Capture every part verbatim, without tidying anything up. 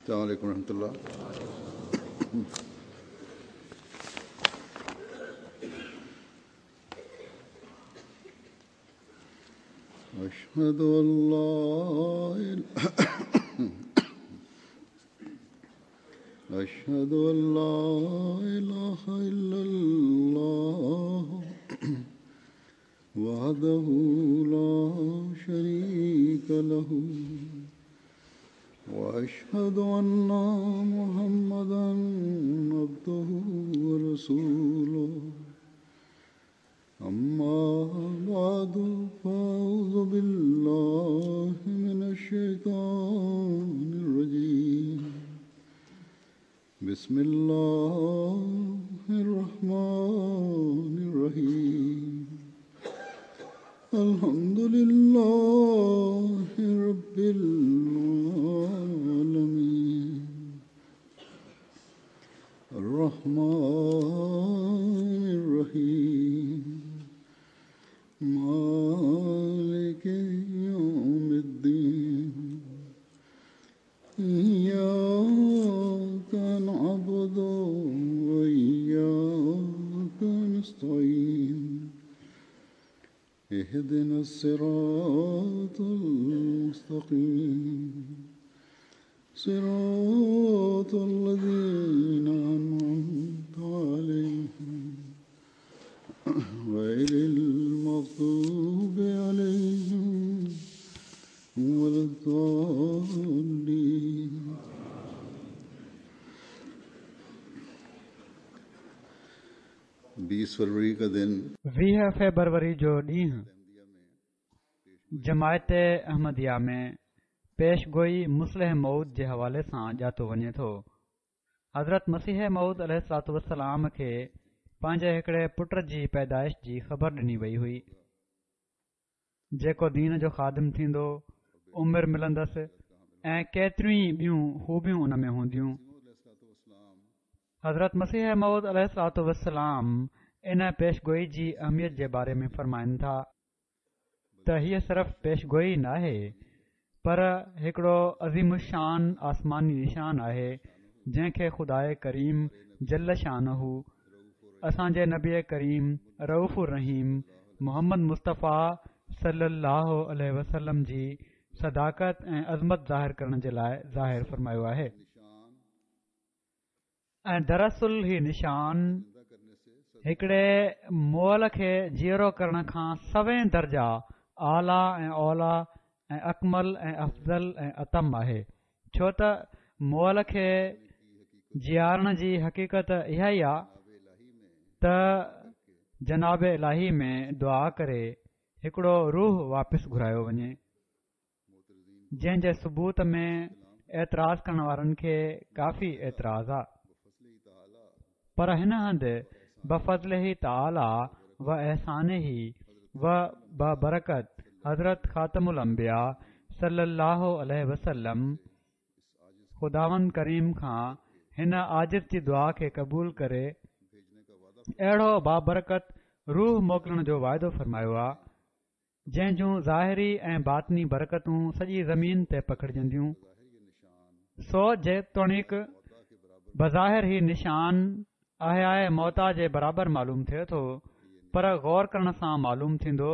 السلام عليڪم ورحمة الله. أشهد أن لا أشهد أن لا إله إلا الله وحده لا شريك له وأشهد أن محمدا عبده ورسوله. أما بعد فأعوذ بالله من الشيطان الرجيم. بسم الله الرحمن الرحيم. الحمد لله رب العالمين الرحمن الرحيم مالك يوم الدين. إياك نعبد وإياك نستعين. اهدنا الصراط المستقيم صراط الذين أنعمت عليهم غير المغضوب عليهم ولا الضالين. बीस फरवरी का दिन ويهه فيبروري جو ڏينهن جماعت احمديه ۾ پيش گوئي مصلح موعود جي حوالي سان ڄاتو وڃي ٿو. حضرت مسيح موعود عليه الصلوة والسلام کي پنهنجي هڪڙي پٽ جي پيدائش جي خبر ڏني وئي هئي، جيڪو دين جو خادم ٿيندو، عمر ملندس ۽ ڪيتريون ئي ٻيون خوبيون ان ۾ هونديون. حضرت مسيح موعود عليه الصلوة والسلام ان پيش گوئي جي اهميت جي باري ۾ فرمائن ٿا ته هيءَ صرف پيش گوئي ناهي پر هڪڙو عظيم الشان آسماني نشان آهي، جنهن کي خداءِ ڪريم جل شانه اسان جي نبي ڪريم رؤف الرحيم محمد مصطفيٰ صلي الله عليه وسلم جي صداقت ۽ عظمت ظاهر ڪرڻ جي لاءِ ظاهر فرمايو آهي. ۽ دراصل هي نشان هڪڙي مئل کي جيئرو ڪرڻ کان سوين درجا اعليٰ ۽ اوليٰ ۽ اڪمل ۽ افضل ۽ اتم آهي، ڇو ته مئل کي جيارڻ جي حقيقت اها ئي آهي ته جناب الاهي ۾ دعا ڪري هڪڙو روح واپس گهرايو وڃي، جنهن جي ثبوت ۾ اعتراض ڪرڻ وارن کي ڪافي اعتراض آهي. پر هن هنڌ بفضله تعاليٰ و احسانه و ببرڪت حضرت خاتم الانبياء صلي الله عليه وسلم خداوند ڪريم کان هن عاجز جي دعا کي قبول ڪري اهڙو بابرڪت روح موڪلڻ جو واعدو فرمايو آهي، جنهن جون ظاهري ۽ باطني برڪتون سڄي زمين تي پکڙجنديون. سو جيتوڻيڪ بظاهر هي نشان احياءِ موتيٰ جي برابر معلوم ٿئي ٿو، پر غور ڪرڻ سان معلوم ٿيندو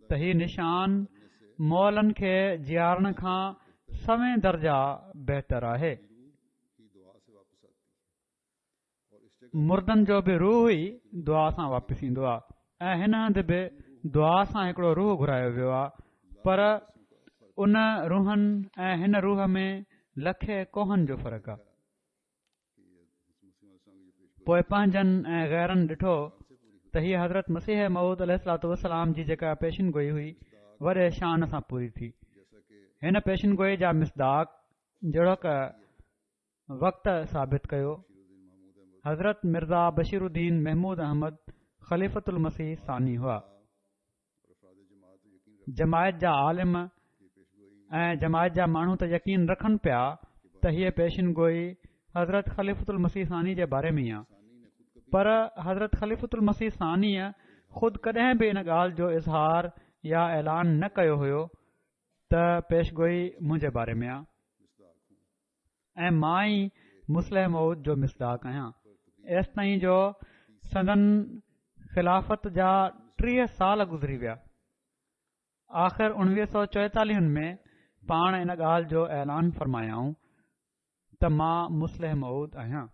ته هي نشان مئلن کي جيارڻ کان سوين درجا بهتر آهي. مردن جو به روح ئي دعا سان واپس ايندو آهي ۽ هن هنڌ به دعا سان هڪڙو روح گهرايو ويو آهي، پر ان روحن ۽ هن روح ۾ لکين ڪوهن جو فرق آهي. پوءِ پنهنجن ۽ غيرن ڏٺو ته هيءَ حضرت مسيح موعود عليه الصلوة والسلام جي جيڪا پيشن گوئي هئي وڏي شان سان پوري ٿي. هن پيشن گوئي جا مصداق جهڙوڪ وقت ثابت ڪيو، حضرت مرزا بشير الدين محمود احمد خليفة المسيح ثاني هئا. جماعت جا عالم ۽ جماعت جا ماڻهو ته يقين رکن پيا ته هيءَ پيشن گوئي حضرت خليفة المسيح ثاني جي باري ۾ ئي آهي، پر حضرت خليفة المسيح ثانيءَ خود ڪڏهن به ان ڳالهه جو اظهار يا اعلان نه ڪيو هيو ته پيشگوئي منهنجي باري ۾ آهي. ۽ مان ئي مصلح موعود جو مصداق آهيان. ايستائين جو سندن خلافت جا ٽيهه سال گذري ويا. آخر اڻويهه سؤ چوئيتاليهن ۾ پاڻ ان ڳالهه جو اعلان فرمايائون ته مان مصلح موعود آهيان.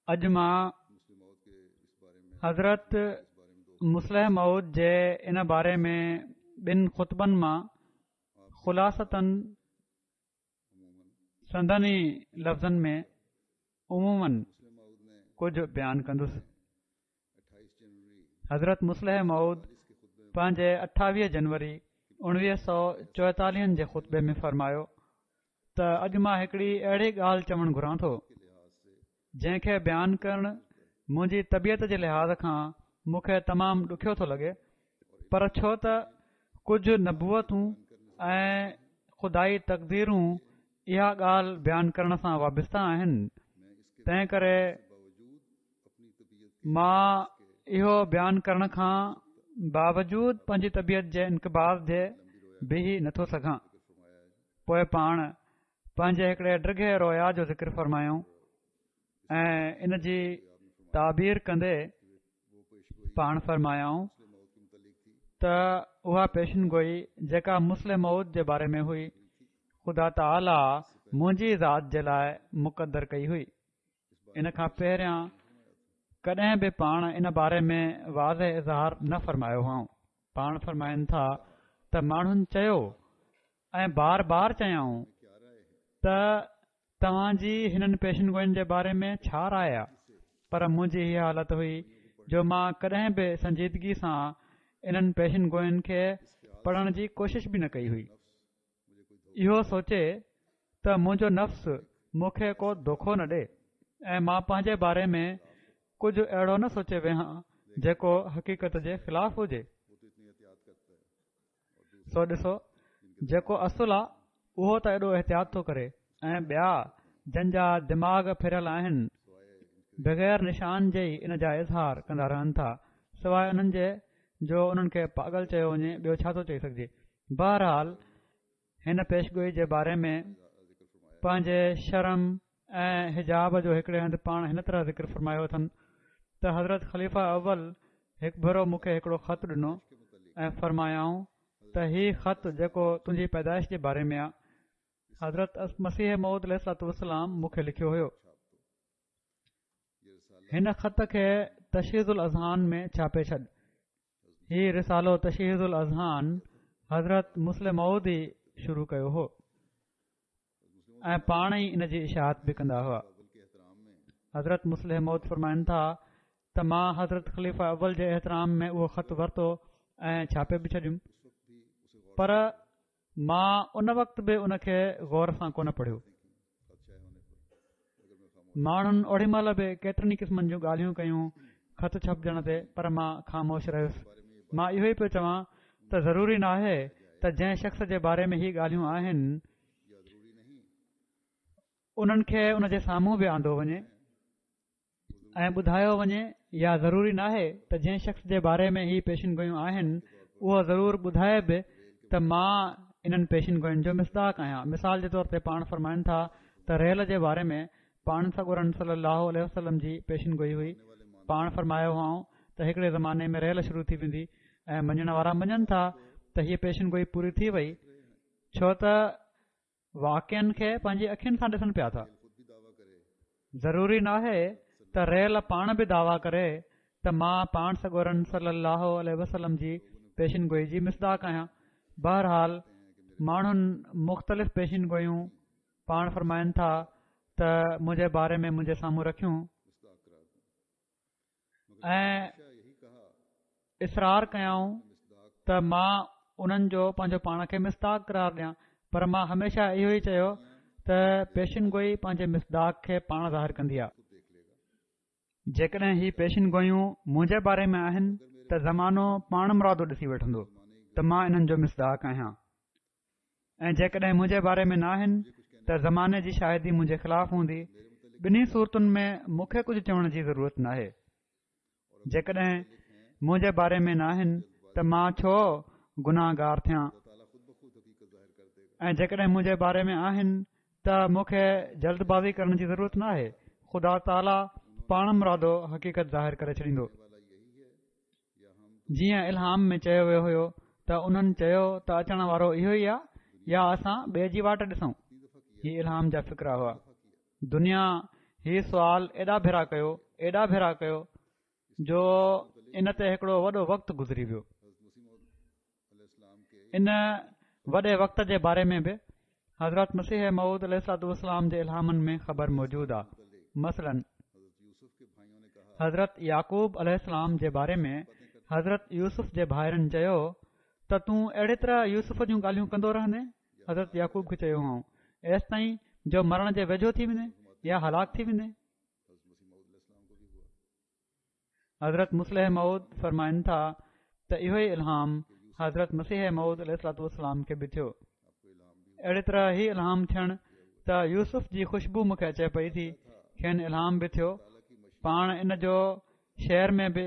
اڄ مان حضرت مصلح موعود جي ان باري ۾ ٻن خطبن مان خلاصتاً سندن ئي لفظن ۾ عموماً ڪجهه بيان ڪندس. حضرت مصلح موعود پنهنجي اٺاويهه جنوري اڻويهه سؤ چوئيتاليهن جي خطبي ۾ فرمايو ته اڄ مان هڪڙي اهڙي ڳالهه چوڻ گهران ٿو جنهن کي بيان ڪرڻ منهنجي طبيعت جي لحاظ کان مون کي تمام ڏکيو ٿو لڳي، پر ڇو ته ڪجهه نبوتون ۽ خدائي تقديرون اها ڳالهه بيان ڪرڻ سان وابسته آهن، تنهن ڪري مان اهو بيان ڪرڻ کان باوجود پنهنجي طبيعت جي انقباض جي بيهي نٿو سگهان. پوءِ پاڻ پنهنجي هڪڙي ڊگهي رويا جو ذڪر فرمايائون ۽ ان جي تعبير ڪندي پاڻ فرمايائون ته اها پيشن گوئي جيڪا مصلح موعود جي باري ۾ هئي، خدا تعاليٰ منهنجي ذات جي لاءِ مقدر ڪئي هئي. ان کان پهريان ڪڏهن به پاڻ ان باري ۾ واضح اظهار نه فرمايو هئائون. پاڻ فرمائن ٿا ته ماڻهن چيو ۽ بار بار چيائون ته توهان جي هنن پيشن گوئين جي باري ۾ ڇا راءِ آهي، پر منهنجي هيءَ حالت هئي جو مان ڪڏهن به سنجيدگي سان انهن پيشن گوئين کي پڙهڻ جي ڪوشش به نه ڪئي هئي، اهو سوچي ته منهنجو نفس مون کي ڪو دوکو نه ڏئي ۽ مان پنهنجي باري ۾ ڪجهه اهڙو نه سوچي ويهان جيڪو حقيقت جي خلاف هجي. سو ڏسو، جيڪو اصل آهي اهو ته ايڏو احتياط ٿو ڪري ۽ ٻيا جن جا دماغ ڦريل آهن بغير نشان جي ئي ان جا اظهار ڪندا رهن ٿا، سواءِ انهن جي جو انهن کي پاڳل چيو وڃي، ٻيو ڇا ٿو چئي سگهجي. بهرحال هن پيشگوئي جي باري ۾ پنهنجي شرم ۽ حجاب جو هڪڙي هنڌ پاڻ هن طرح ذڪر فرمايو اٿن ته حضرت خليفه اول هڪ ڀيرو مون کي هڪڙو خط ڏنو ۽ فرمايائون ته هي خط جيڪو تنهنجي پيدائش جي باري ۾ آهي، حضرت مسيح موعود عليه الصلوة والسلام مون کي لکيو هيو. هن خط کي تشحيذ الاذهان ۾ ڇاپي ڇڏ. هي رسالو تشحيذ الاذهان حضرت مصلح موعود ئي شروع ڪيو هو ۽ پاڻ ئي ان جي اشاعت به ڪندا هئا. حضرت مصلح موعود فرمائن ٿا ته مان حضرت خليفه اول جي احترام ۾ اهو خط ورتو ۽ ڇاپي به ڇڏيم، پر مان ان وقت به ان کي غور سان ڪونه پڙهيو. ماڻهن اوڏي مهل به ڪيترن ئي قسمن جون ڳالهيون ڪيون خط ڇپجڻ تي، پر مان خاموش رهيس. مان اهو ئي پيو چوان ته ضروري ناهي ته جنهن شخص جي باري ۾ هي ڳالهيون آهن انهن کي ان جي سامهون به آندو وڃي ۽ ٻڌايو وڃي، يا ضروري ناهي ته جنهن شخص جي باري ۾ هي پيشن گوئيون آهن اهو ضرور ٻڌائي به ته مان انهن پيشن گوئين جو مصداق آهيان. مثال جي طور تي پاڻ فرمائن ٿا ته ريل جي باري ۾ پاڻ سڳورن صلي الله عليه وسلم جي پيشن گوئي هئي. پاڻ فرمايو هئائون ته هڪڙي زماني ۾ ريل شروع ٿي ويندي ۽ مڃڻ وارا مڃن ٿا ته هيءَ پيشن گوئي پوري ٿي وئي، ڇو ته واقعن کي پنهنجي اکين سان ڏسن پيا ٿا. ضروري ناهي ته ريل پاڻ به دعويٰ ڪري ته مان پاڻ سڳورن صلي الله عليه وسلم جي پيشن گوئي جي مصداق آهيان. بهرحال ماڻهن مختلف پيشن گوئيون پاڻ فرمائن ٿا ته منهنجي باري ۾ منهنجي سامهون رکيون ۽ اصرار ڪيائون ته مان انهن جو پنهنجو پاڻ کي مصداق قرار ڏيان، پر مان هميشه اهو ئي چيو ته پيشن گوئي پنهنجي مصداق کي پاڻ ظاهر ڪندي آهي. جيڪڏهن هي پيشن گوئيون منهنجي باري ۾ آهن ته زمانو پاڻ مرادو ڏسي وٺندو ته مان انهن جو مصداق آهيان، ۽ جيڪڏهن منهنجي باري ۾ نه آهن ته زماني جي شاهدي منهنجي خلاف هوندي. ٻنهي صورتن ۾ مون کي ڪجهه چوڻ جي ضرورت ناهي. جيڪڏهن منهنجي باري ۾ نه آهن ته مان ڇو گناهگار ٿيان؟ ۽ جيڪڏهن منهنجي باري ۾ آهن ته مون کي جلدبازي ڪرڻ جي ضرورت نه آهي. خدا تعاليٰ پاڻ مرادو حقيقت ظاهر ڪري ڇڏيندو. جيئن الهام ۾ چيو ويو هيو ته انهن چيو ته اچڻ وارو اهو ئي آهي يا اسان ٻئي جي واٽ ڏسون. هي الهام جا فقرا هئا. دنيا هي سوال ايڏا ڀيرا ڪيو ايڏا ڀيرا ڪيو جو ان تي هڪڙو وڏو وقت گذري ويو. ان وڏي وقت جي باري ۾ به حضرت مسيح موعود عليه الصلوة والسلام جي الهامن ۾ خبر موجود آهي. مثلا حضرت يعقوب عليه السلام جي باري ۾ حضرت يوسف جي ڀائرن چيو ته تون اهڙي طرح يوسف جون ڳالهيون ڪندو رهندين؟ حضرت يعقوب کي چيو هئائون ايستائين جو مرڻ جي ويجهو ٿي ويندين يا هلاڪ ٿي ويندين. حضرت مصلح موعود فرمائن ٿا ته اهو ئي الهام حضرت مسيح موعود عليه الصلوة والسلام کي به ٿيو. اهڙي طرح هي الهام ٿيڻ ته يوسف جي خوشبو مون کي اچي پئي ٿي، کين الهام به ٿيو. پاڻ ان جو شعر ۾ به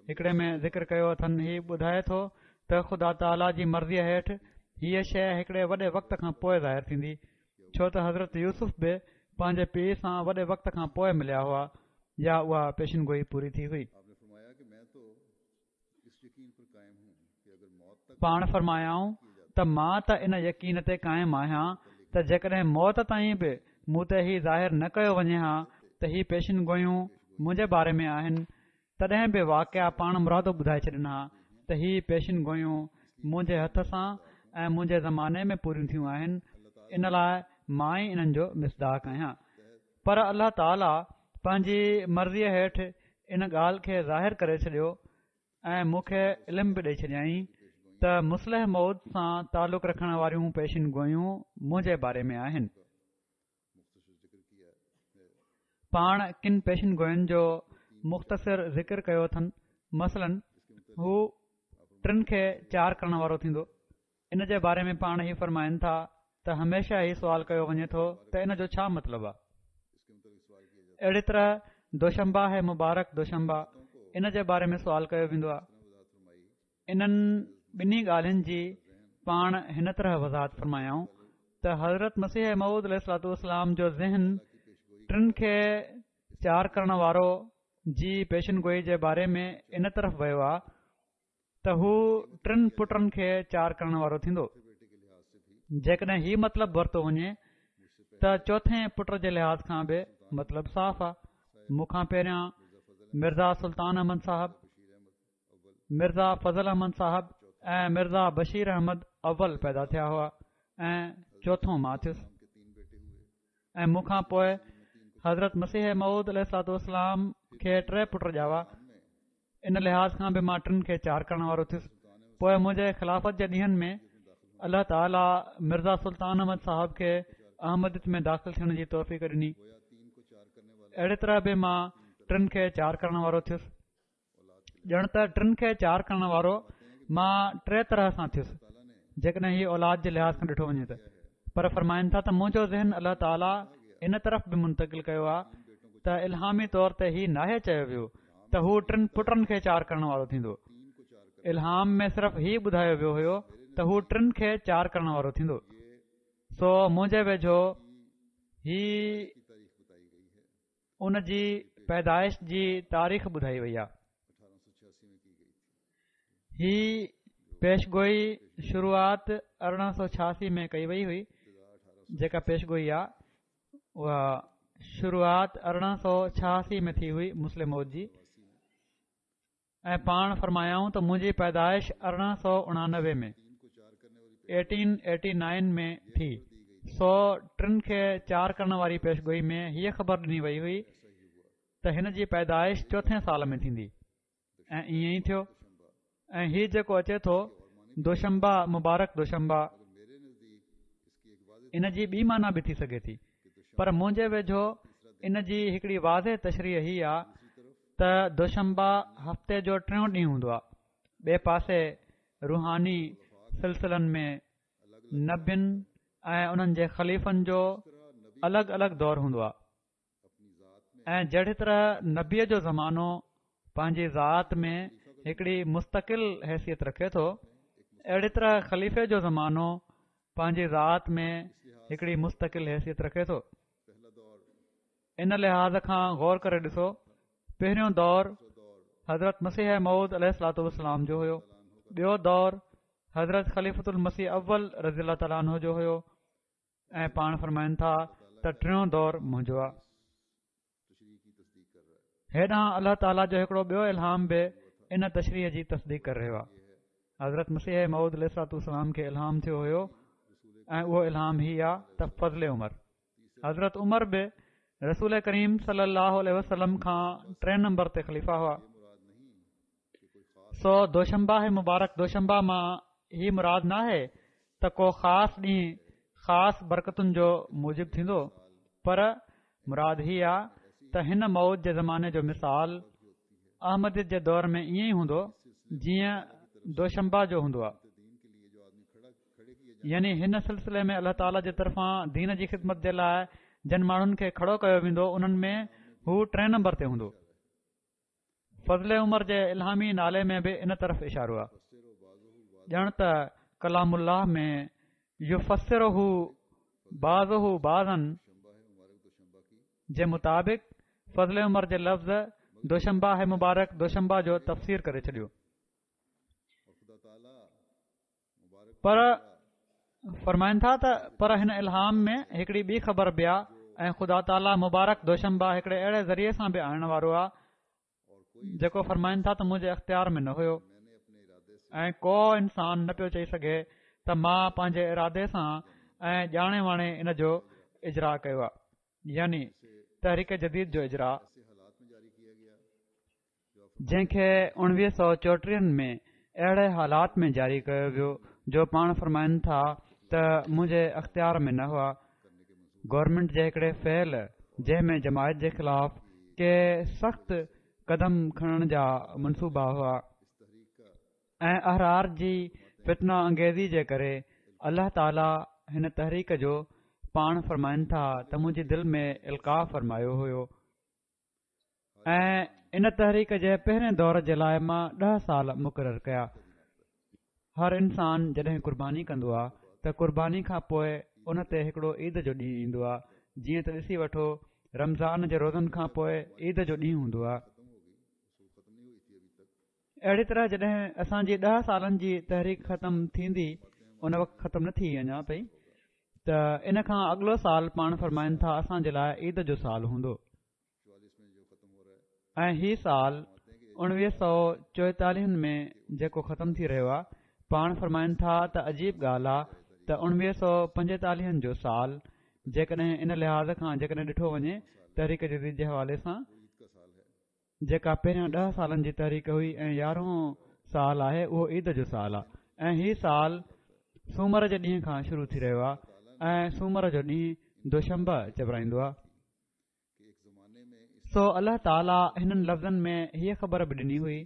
هڪڙي ۾ ذڪر ڪيو اٿن. هي ٻڌائي ٿو ته خدا تعاليٰ جي مرضيء هيٺ هيء شيء هڪڙي وڏي وقت کان پوءِ ظاهر ٿيندي، ڇو ته حضرت يوسف به پنهنجي پيءُ سان وڏي وقت کان پوءِ مليا هئا يا اها پيشن گوئي پوري ٿي هئي. پاڻ فرمايائون ته مان ته ان يقين تي قائم آهيان ته جيڪڏهن موت تائين به مون تي هي ظاهر نه ڪيو وڃي ها ته هي پيشن گوئيون منهنجي باري ۾ آهن، تڏهن به واقعا پاڻ مرادو ٻڌائي ڇڏن ها ته هي پيشن گوئيون منهنجي هٿ سان ۽ منهنجي زماني ۾ پوريون ٿيون آهن، ان لاءِ مان ئي انهن جو مصداق آهيان. پر الله تعاليٰ پنهنجي مرضيءَ هيٺ ان ڳالهه کي ظاهر ڪري ڇڏيو ۽ مون کي علم به ڏئي ڇڏيائين ته مصلح موعود سان تعلق رکڻ واريون پيشن گوئيون منهنجي باري ۾ آهن. پاڻ ڪن پيشن گوئين جو مختصر ذڪر ڪيو اٿن. مثلا هو ٽن کي چار ڪرڻ وارو ٿيندو. ان جي باري ۾ پاڻ هي فرمائن ٿا ته هميشه هي سوال ڪيو وڃي ٿو ته ان جو ڇا مطلب آهي. اهڙي طرح دوشنبه هي مبارڪ دوشنبه، ان جي باري ۾ سوال ڪيو ويندو آهي. انهن ٻنهي ڳالهين جي پاڻ هن طرح وضاحت فرمايائون ته حضرت مسيح موعود عليه الصلوة والسلام جو ذهن ٽن کي چار ڪرڻ وارو جي پيشن گوئي جي باري ۾ ان طرف ويو آهي ته هو ٽن پٽن کي چار ڪرڻ وارو ٿيندو. جيڪڏهن هي مطلب ورتو وڃي ته چوٿين پٽ جي لحاظ کان به مطلب صاف آهي. مون کان پهريان مرزا سلطان احمد صاحب، مرزا فضل احمد صاحب ۽ مرزا بشير احمد اول پيدا ٿيا هئا ۽ چوٿون مان ٿيس. ۽ مون کان پوءِ حضرت مسيح موعود عليه الصلوة والسلام کي ٽي پٽ ڄاوا. ان لحاظ کان به مان ٽن کي چار ڪرڻ وارو ٿيس. پوءِ منهنجي خلافت جي ڏينهن ۾ الله تعاليٰ مرزا سلطان احمد صاحب کي احمديت ۾ داخل ٿيڻ جي توفيق ڏني. اهڙي طرح به مان ٽن کي چار ڪرڻ وارو ٿيس. ڄڻ ته ٽن کي چار ڪرڻ وارو مان ٽي طرح سان ٿيس، جيڪڏهن هي اولاد جي لحاظ کان ڏٺو وڃي ته. پر فرمائن ٿا ته منهنجو ذهن الله تعاليٰ ان طرف به منتقل ڪيو آهي ته الهامي طور تي هي ناهي چيو ويو ته هو ٽن پٽن کي چار ڪرڻ وارو ٿيندو. الهام ۾ صرف هي ٻڌايو ويو هيو ته هو ٽن کي چار ڪرڻ وارو ٿيندو. سو منهنجي ويجهو هي ان جي پيدائش جي تاريخ ٻڌائي وئي آهي. هي پيشگوئي شروعات ارڙهن سؤ ڇهاسي ۾ ڪئي وئي هئي. جيڪا پيشگوئي آهي اها شروعات ارڙهن سؤ ڇهاسي ۾ ٿي هئي مصلح موعود جي. ۽ پاڻ فرمايائون ته منهنجي پيدائش ارڙهن سؤ اڻانوي ۾ ايٽين ايٽي نائن ۾ ٿي. سو ٽن کي چار ڪرڻ واري پيشگوئي ۾ هيءَ خبر ڏني وئي هئي ته هن جي پيدائش چوٿين سال ۾ ٿيندي ۽ ائين ئي ٿيو. ۽ هي جيڪو اچي ٿو دوشنبه مبارڪ دوشنبه، ان جي ٻي معنيٰ به ٿي سگهي ٿي، پر منهنجي ويجهو ان جي هڪڙي واضح تشريح هي آهي ته دوشنبه هفتي جو ٽيون ڏينهن هوندو آهي. ٻئي پاسي روحاني سلسلن ۾ نبين ۽ انهن جي خليفن جو الڳ الڳ دور هوندو آهي ۽ جهڙي طرح نبيءَ جو زمانو پنهنجي ذات ۾ هڪڙي مستقل حيثيت رکي ٿو، اهڙي طرح خليفي جو زمانو پنهنجي ذات ۾ هڪڙي مستقل حيثيت رکي ٿو. ان لحاظ کان غور ڪري ڏسو، پهريون دور حضرت مسيح موعود عليه الصلوة والسلام جو هيو، ٻيو دور حضرت خليفة المسيح اول رضي الله تعالٰي عنه جو هيو، ۽ پاڻ فرمائن ٿا ته ٽيون دور منهنجو آهي. هيڏانهن الله تعاليٰ جو هڪڙو ٻيو الهام به ان تشريح جي تصديق ڪري رهيو آهي. حضرت مسيح موعود عليه الصلوة والسلام کي الهام ٿيو هيو ۽ اهو الهام هي آ ته فضل عمر. حضرت عمر به رسول ڪريم صلي الله عليه وسلم کان ٽئين نمبر تي خليفا هئا. سو دوشنبه مبارڪ دوشنبه مان هي مراد ناهي ته ڪو خاص ڏينهن خاص برڪتن جو موجب ٿيندو، پر مراد هي آ ته هن موعود جي زماني جو مثال احمديت جي دور ۾ ائين ئي هوندو جيئن دوشنبه جو هوندو آ. يعني هن سلسلي ۾ الله تعاليٰ جي طرفان دين جي خدمت جي لاء جن ماڻهن کي کڙو ڪيو ويندو انهن ۾ هو ٽئين نمبر تي هوندو. فضل عمر جي الهامي نالي ۾ به ان طرف اشارو آ، ڄڻ ته ڪلام الله ۾ يفسره بعضه بعضا جي مطابق فضل عمر جي لفظ دوشنبه مبارڪ دوشنبه جو تفسير ڪري ڇڏيو. پر فرمائن ٿا ته پر هن الهام ۾ هڪڙي ٻي خبر به آ ۽ خدا تعاليٰ مبارڪ دوشنبه هڪڙي اهڙي ذريعي سان به آڻڻ وارو آ جيڪو فرمائن ٿا ته منهنجي اختيار ۾ نه هيو ۽ ڪو انسان نه پيو چئي سگهي ته مان پنهنجي ارادي سان ۽ ڄاڻي واڻي ان جو اجرا ڪيو آ، يعني تحريڪ جديد جو اجرا، جنهن کي اڻويهه سؤ چوٽيهن ۾ اهڙي حالات ۾ جاري ڪيو ويو جو پاڻ فرمائن ٿا ته منهنجي اختيار ۾ نه هئا. گورنمينٽ جي هڪڙي فعل جنهن ۾ جماعت جي خلاف ڪي سخت قدم کڻڻ جا منصوبا هئا ۽ احرار جي فتنه انگيزي جي ڪري الله تعاليٰ هن تحريڪ جو پاڻ فرمائن ٿا ته منهنجي دل ۾ القاء فرمايو هيو ۽ ان تحريڪ جي پهرين دور جي لاء مان ڏهه سال مقرر ڪيا. هر انسان جڏهن قرباني ڪندو آ ته قرباني کان پوء ان تي هڪڙو عيد جو ڏينهن ايندو آ، جيئن ته ڏسي وٺو رمضان جي روزن کان پوء عيد جو ڏينهن هوندو آ. اهڙي طرح جڏهن اسان جي ڏهه سالن جي تحريڪ ختم ٿيندي، ان وقت ختم نه ٿي اڃا تائين، ته ان کان اڳلو سال پاڻ فرمائن ٿا اسان جي لاء عيد جو سال هوندو ۽ هي سال اڻويهه سؤ چوئيتاليهن ۾ جيڪو ختم ٿي رهيو آهي، پاڻ فرمائن ٿا ته عجيب ڳالهه آهي ته اڻويهه سؤ پنجيتاليهن جو سال جيڪڏهن ان لحاظ کان جيڪڏهن ڏٺو وڃي تحريڪ جديد جي حوالي سان جيڪا پهريان ڏهه سالن جي تحريڪ هئي ۽ يارهون سال آهي اهو عيد جو سال آهي ۽ هي سال سومر جي ڏينهن کان شروع ٿي رهيو آهي ۽ سومر جو ڏينهن دوشنبه چورائيندو آهي. سو الله تعاليٰ هنن لفظن ۾ هيء خبر به ڏني هئي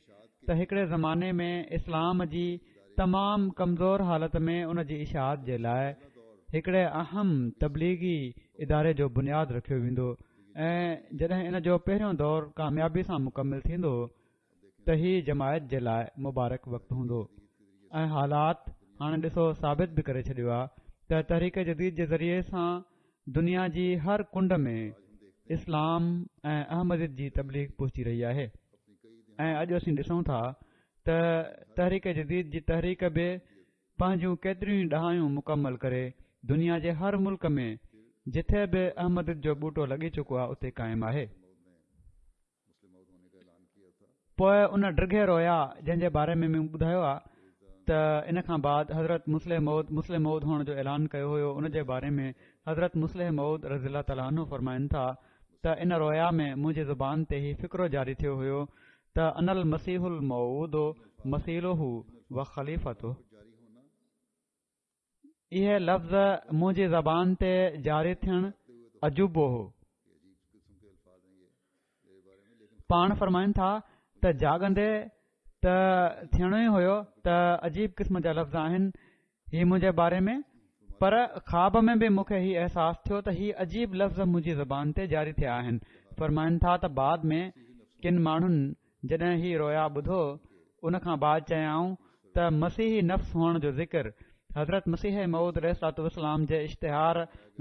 ته هڪڙي زماني ۾ اسلام جي تمام ڪمزور حالت ۾ ان جي اشاعت جي لاء هڪڙي اهم تبليغي اداري جو بنياد رکيو ويندو ۽ جڏهن ان جو پهريون دور ڪاميابي سان مڪمل ٿيندو ته هي جماعت جي لاء مبارڪ وقت هوندو ۽ حالات هاڻي ڏسو ثابت به ڪري ڇڏيو آهي ته تحريڪ جديد جي ذريعي سان دنيا جي هر ڪنڊ ۾ اسلام ۽ احمديت جي تبليغ پهچي رهي آهي ۽ اڄ اسين ڏسون ٿا ته تحريڪ جديد جي تحريڪ به پنهنجون ڪيتريون ئي ڏهايون مڪمل ڪري دنيا جي هر ملڪ ۾ جٿي به احمديت جو ٻوٽو لڳي چڪو آهي اتي قائم آهي. پوء ان ڊگهي رويا جنهن جي باري ۾ مون ٻڌايو آهي ته ان کان بعد حضرت مصلح موعود مصلح موعود هئڻ جو اعلان ڪيو هيو ان جي باري ۾ حضرت مصلح موعود رضي الله تعالٰي عنه فرمائن ٿا ته ان رويا ۾ منهنجي زبان تي هي فقرو جاري ٿيو هيو ته انا المسيح الموعود مثيله و خليفته. اهي لفظ منهنجي زبان تي جاري ٿيڻ عجوبو هو. پاڻ فرمائن ٿا ته جاڳندي ته ٿيڻو ئي هيو ته عجيب قسم جا لفظ آهن هي منهنجي باري ۾ پر خواب ۾ به مون کي هي احساس ٿيو ته هي عجيب لفظ منهنجي زبان تي جاري ٿيا آهن. فرمائن ٿا ته بعد ۾ ڪن ماڻهن جڏهن هي رويا ٻڌو ان کان بعد چيائون ته مسيحي نفس هئڻ جو ذڪر حضرت مسيح موعود عليه الصلوة والسلام جي اشتهار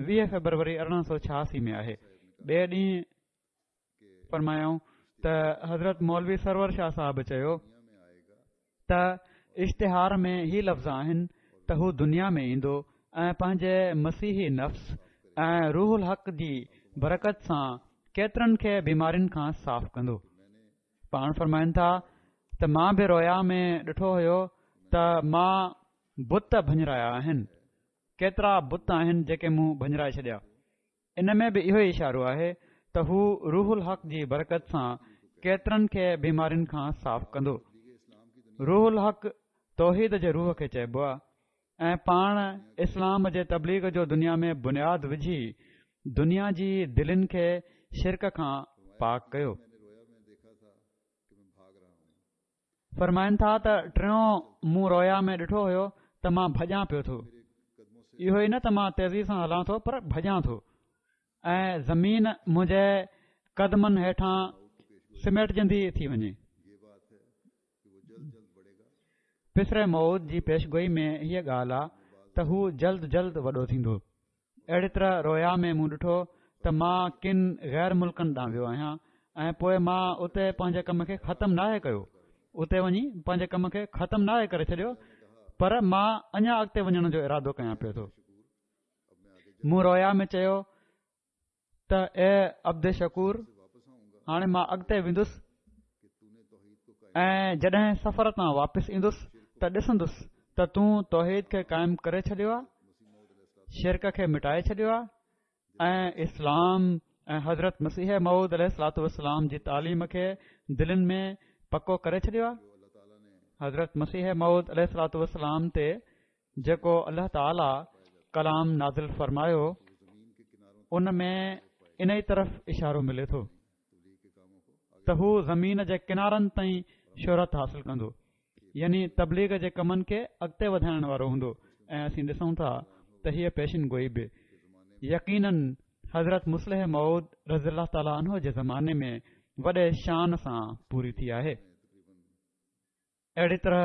ويهه فيبروري ارڙهن سؤ ڇهاسي ۾ آهي. ٻئي ڏينهن فرمايائون ته حضرت مولوي سرور شاهه صاحب چيو ته اشتهار ۾ هي لفظ آهن ته هو دنيا ۾ ايندو ۽ پنهنجي مسيحي نفس ۽ روح الحق جي برڪت سان ڪيترن کي بيمارين کان صاف ڪندو. پاڻ فرمائن ٿا ته مان به رويا ۾ ڏٺو هيو ته مان بت ڀڃرايا آهن، ڪيترا بت آهن جيڪي مون ڀڃرائي ڇڏيا. ان ۾ به اهو ئي اشارو آهي ته هو روح الحق جي برڪت سان ڪيترن کي بيمارين کان صاف ڪندو. روح الحق توحيد جي روح کي چئبو آهي ۽ پاڻ اسلام جي تبليغ جو دنيا ۾ بنياد وجهي دنيا جي دلين کي شرڪ کان پاڪ ڪيو. فرمائن ٿا ته ٽيون مون رويا ۾ ڏٺو هيو ته مان ڀڄان پيو ٿو، اهو ئي نه ته مان تيزي سان هلان ٿو پر ڀڄان ٿو ۽ زمين منهنجي قدمن هيٺان سميٽجندي ٿي وڃي. پسر موعود جي پيشگوئي ۾ هيء ڳالهه آ ته هو جلد جلد وڏو ٿيندو. اهڙي طرح رويا ۾ مون ڏٺو ته مان ڪن غير ملڪن ڏانهن ويو آهيان ۽ پوء مان اتي پنهنجي ڪم کي ختم ناهي ڪيو، اتي وڃي پنهنجي ڪم کي ختم ناهي ڪري ڇڏيو، پر مان اڃا اڳتي وڃڻ جو ارادو ڪيان پيو ٿو. مون رويا ۾ چيو ته اي عبد شڪور، هاڻي مان اڳتي ويندس ۽ جڏهن سفر تان واپس ايندس ته ڏسندس ته تون توحيد کي قائم ڪري ڇڏيو آهي، شرڪ کي مٽائي ڇڏيو آهي ۽ اسلام ۽ حضرت مسيح موعود عليه الصلوة والسلام جي تعليم کي دلين ۾ پڪو ڪري ڇڏيو آهي. حضرت مسيح موعود عليه الصلوة والسلام تي جيڪو الله تعاليٰ ڪلام نازل فرمايو ان ۾ انهي طرف اشارو ملي ٿو ته هو زمين جي ڪنارن تائين شهرت حاصل ڪندو، يعني تبليغ جي ڪمن کي اڳتي وڌائڻ وارو هوندو. ۽ اسين ڏسون ٿا ته هيء پيشن گوئي به يقيناً حضرت مصلح موعود رضي الله تعاليٰ عنه جي زماني ۾ وڏي شان سان پوري ٿي آهي. اهڙي طرح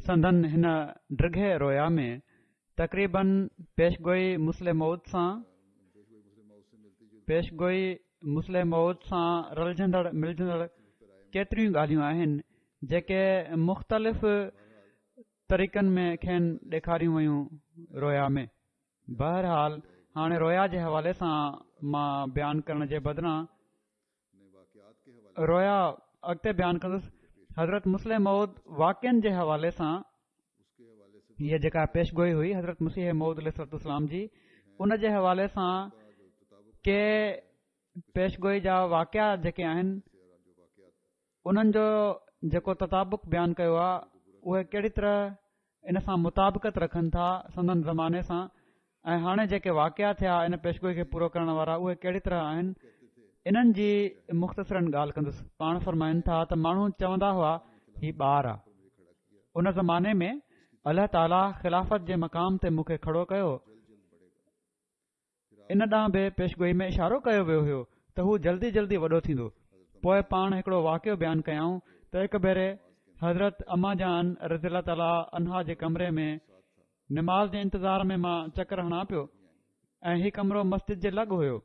سندن هن ڊگهي رويا ۾ تقريباً پيشگوئي مصلح موعود سان پيشگوئي مصلح موعود سان رلجندڙ ملجندڙ ڪيتريون ڳالهيون آهن جيڪي مختلف طريقن ۾ کين ڏيکاريون ويون رويا ۾. بهرحال هاڻي رويا جي حوالي سان مان بيان ڪرڻ جي بدران رويا اڳتي بيان ڪندس. حضرت مصلح موعود واقعن جي حوالي سان هيء جيڪا پيشگوئي هئي حضرت مسيح موعود عليه الصلوة والسلام جي، ان جي حوالي سان ڪي پيشگوئي جا واقعا جيڪي آهن انهن جو جيڪو تطابق بيان ڪيو آهي اهي ڪهڙي طرح ان سان مطابقت رکن ٿا سندن زماني سان، ۽ هاڻي جيڪي واقعا ٿيا ان پيشگوئي کي پورو ڪرڻ وارا اهي ڪهڙي طرح آهن، انهن جي مختصراً ڳالهه ڪندس. پاڻ فرمائن ٿا ته ماڻهو چوندا هئا هي ٻار آ. ان زماني ۾ الله تعاليٰ خلافت جي مقام تي مون کي کڙو ڪيو. ان ڏانهن به پيشگوئي ۾ اشارو ڪيو ويو هيو ته هو جلدي جلدي وڏو ٿيندو. پوء پاڻ هڪڙو واقعو بيان ڪيائون ته هڪ ڀيري حضرت اما جان رضي الله تعاليٰ عنها جي ڪمري ۾ نماز جي انتظار ۾ مان چڪر هڻان پيو ۽ هي ڪمرو مسجد جي لڳ هيو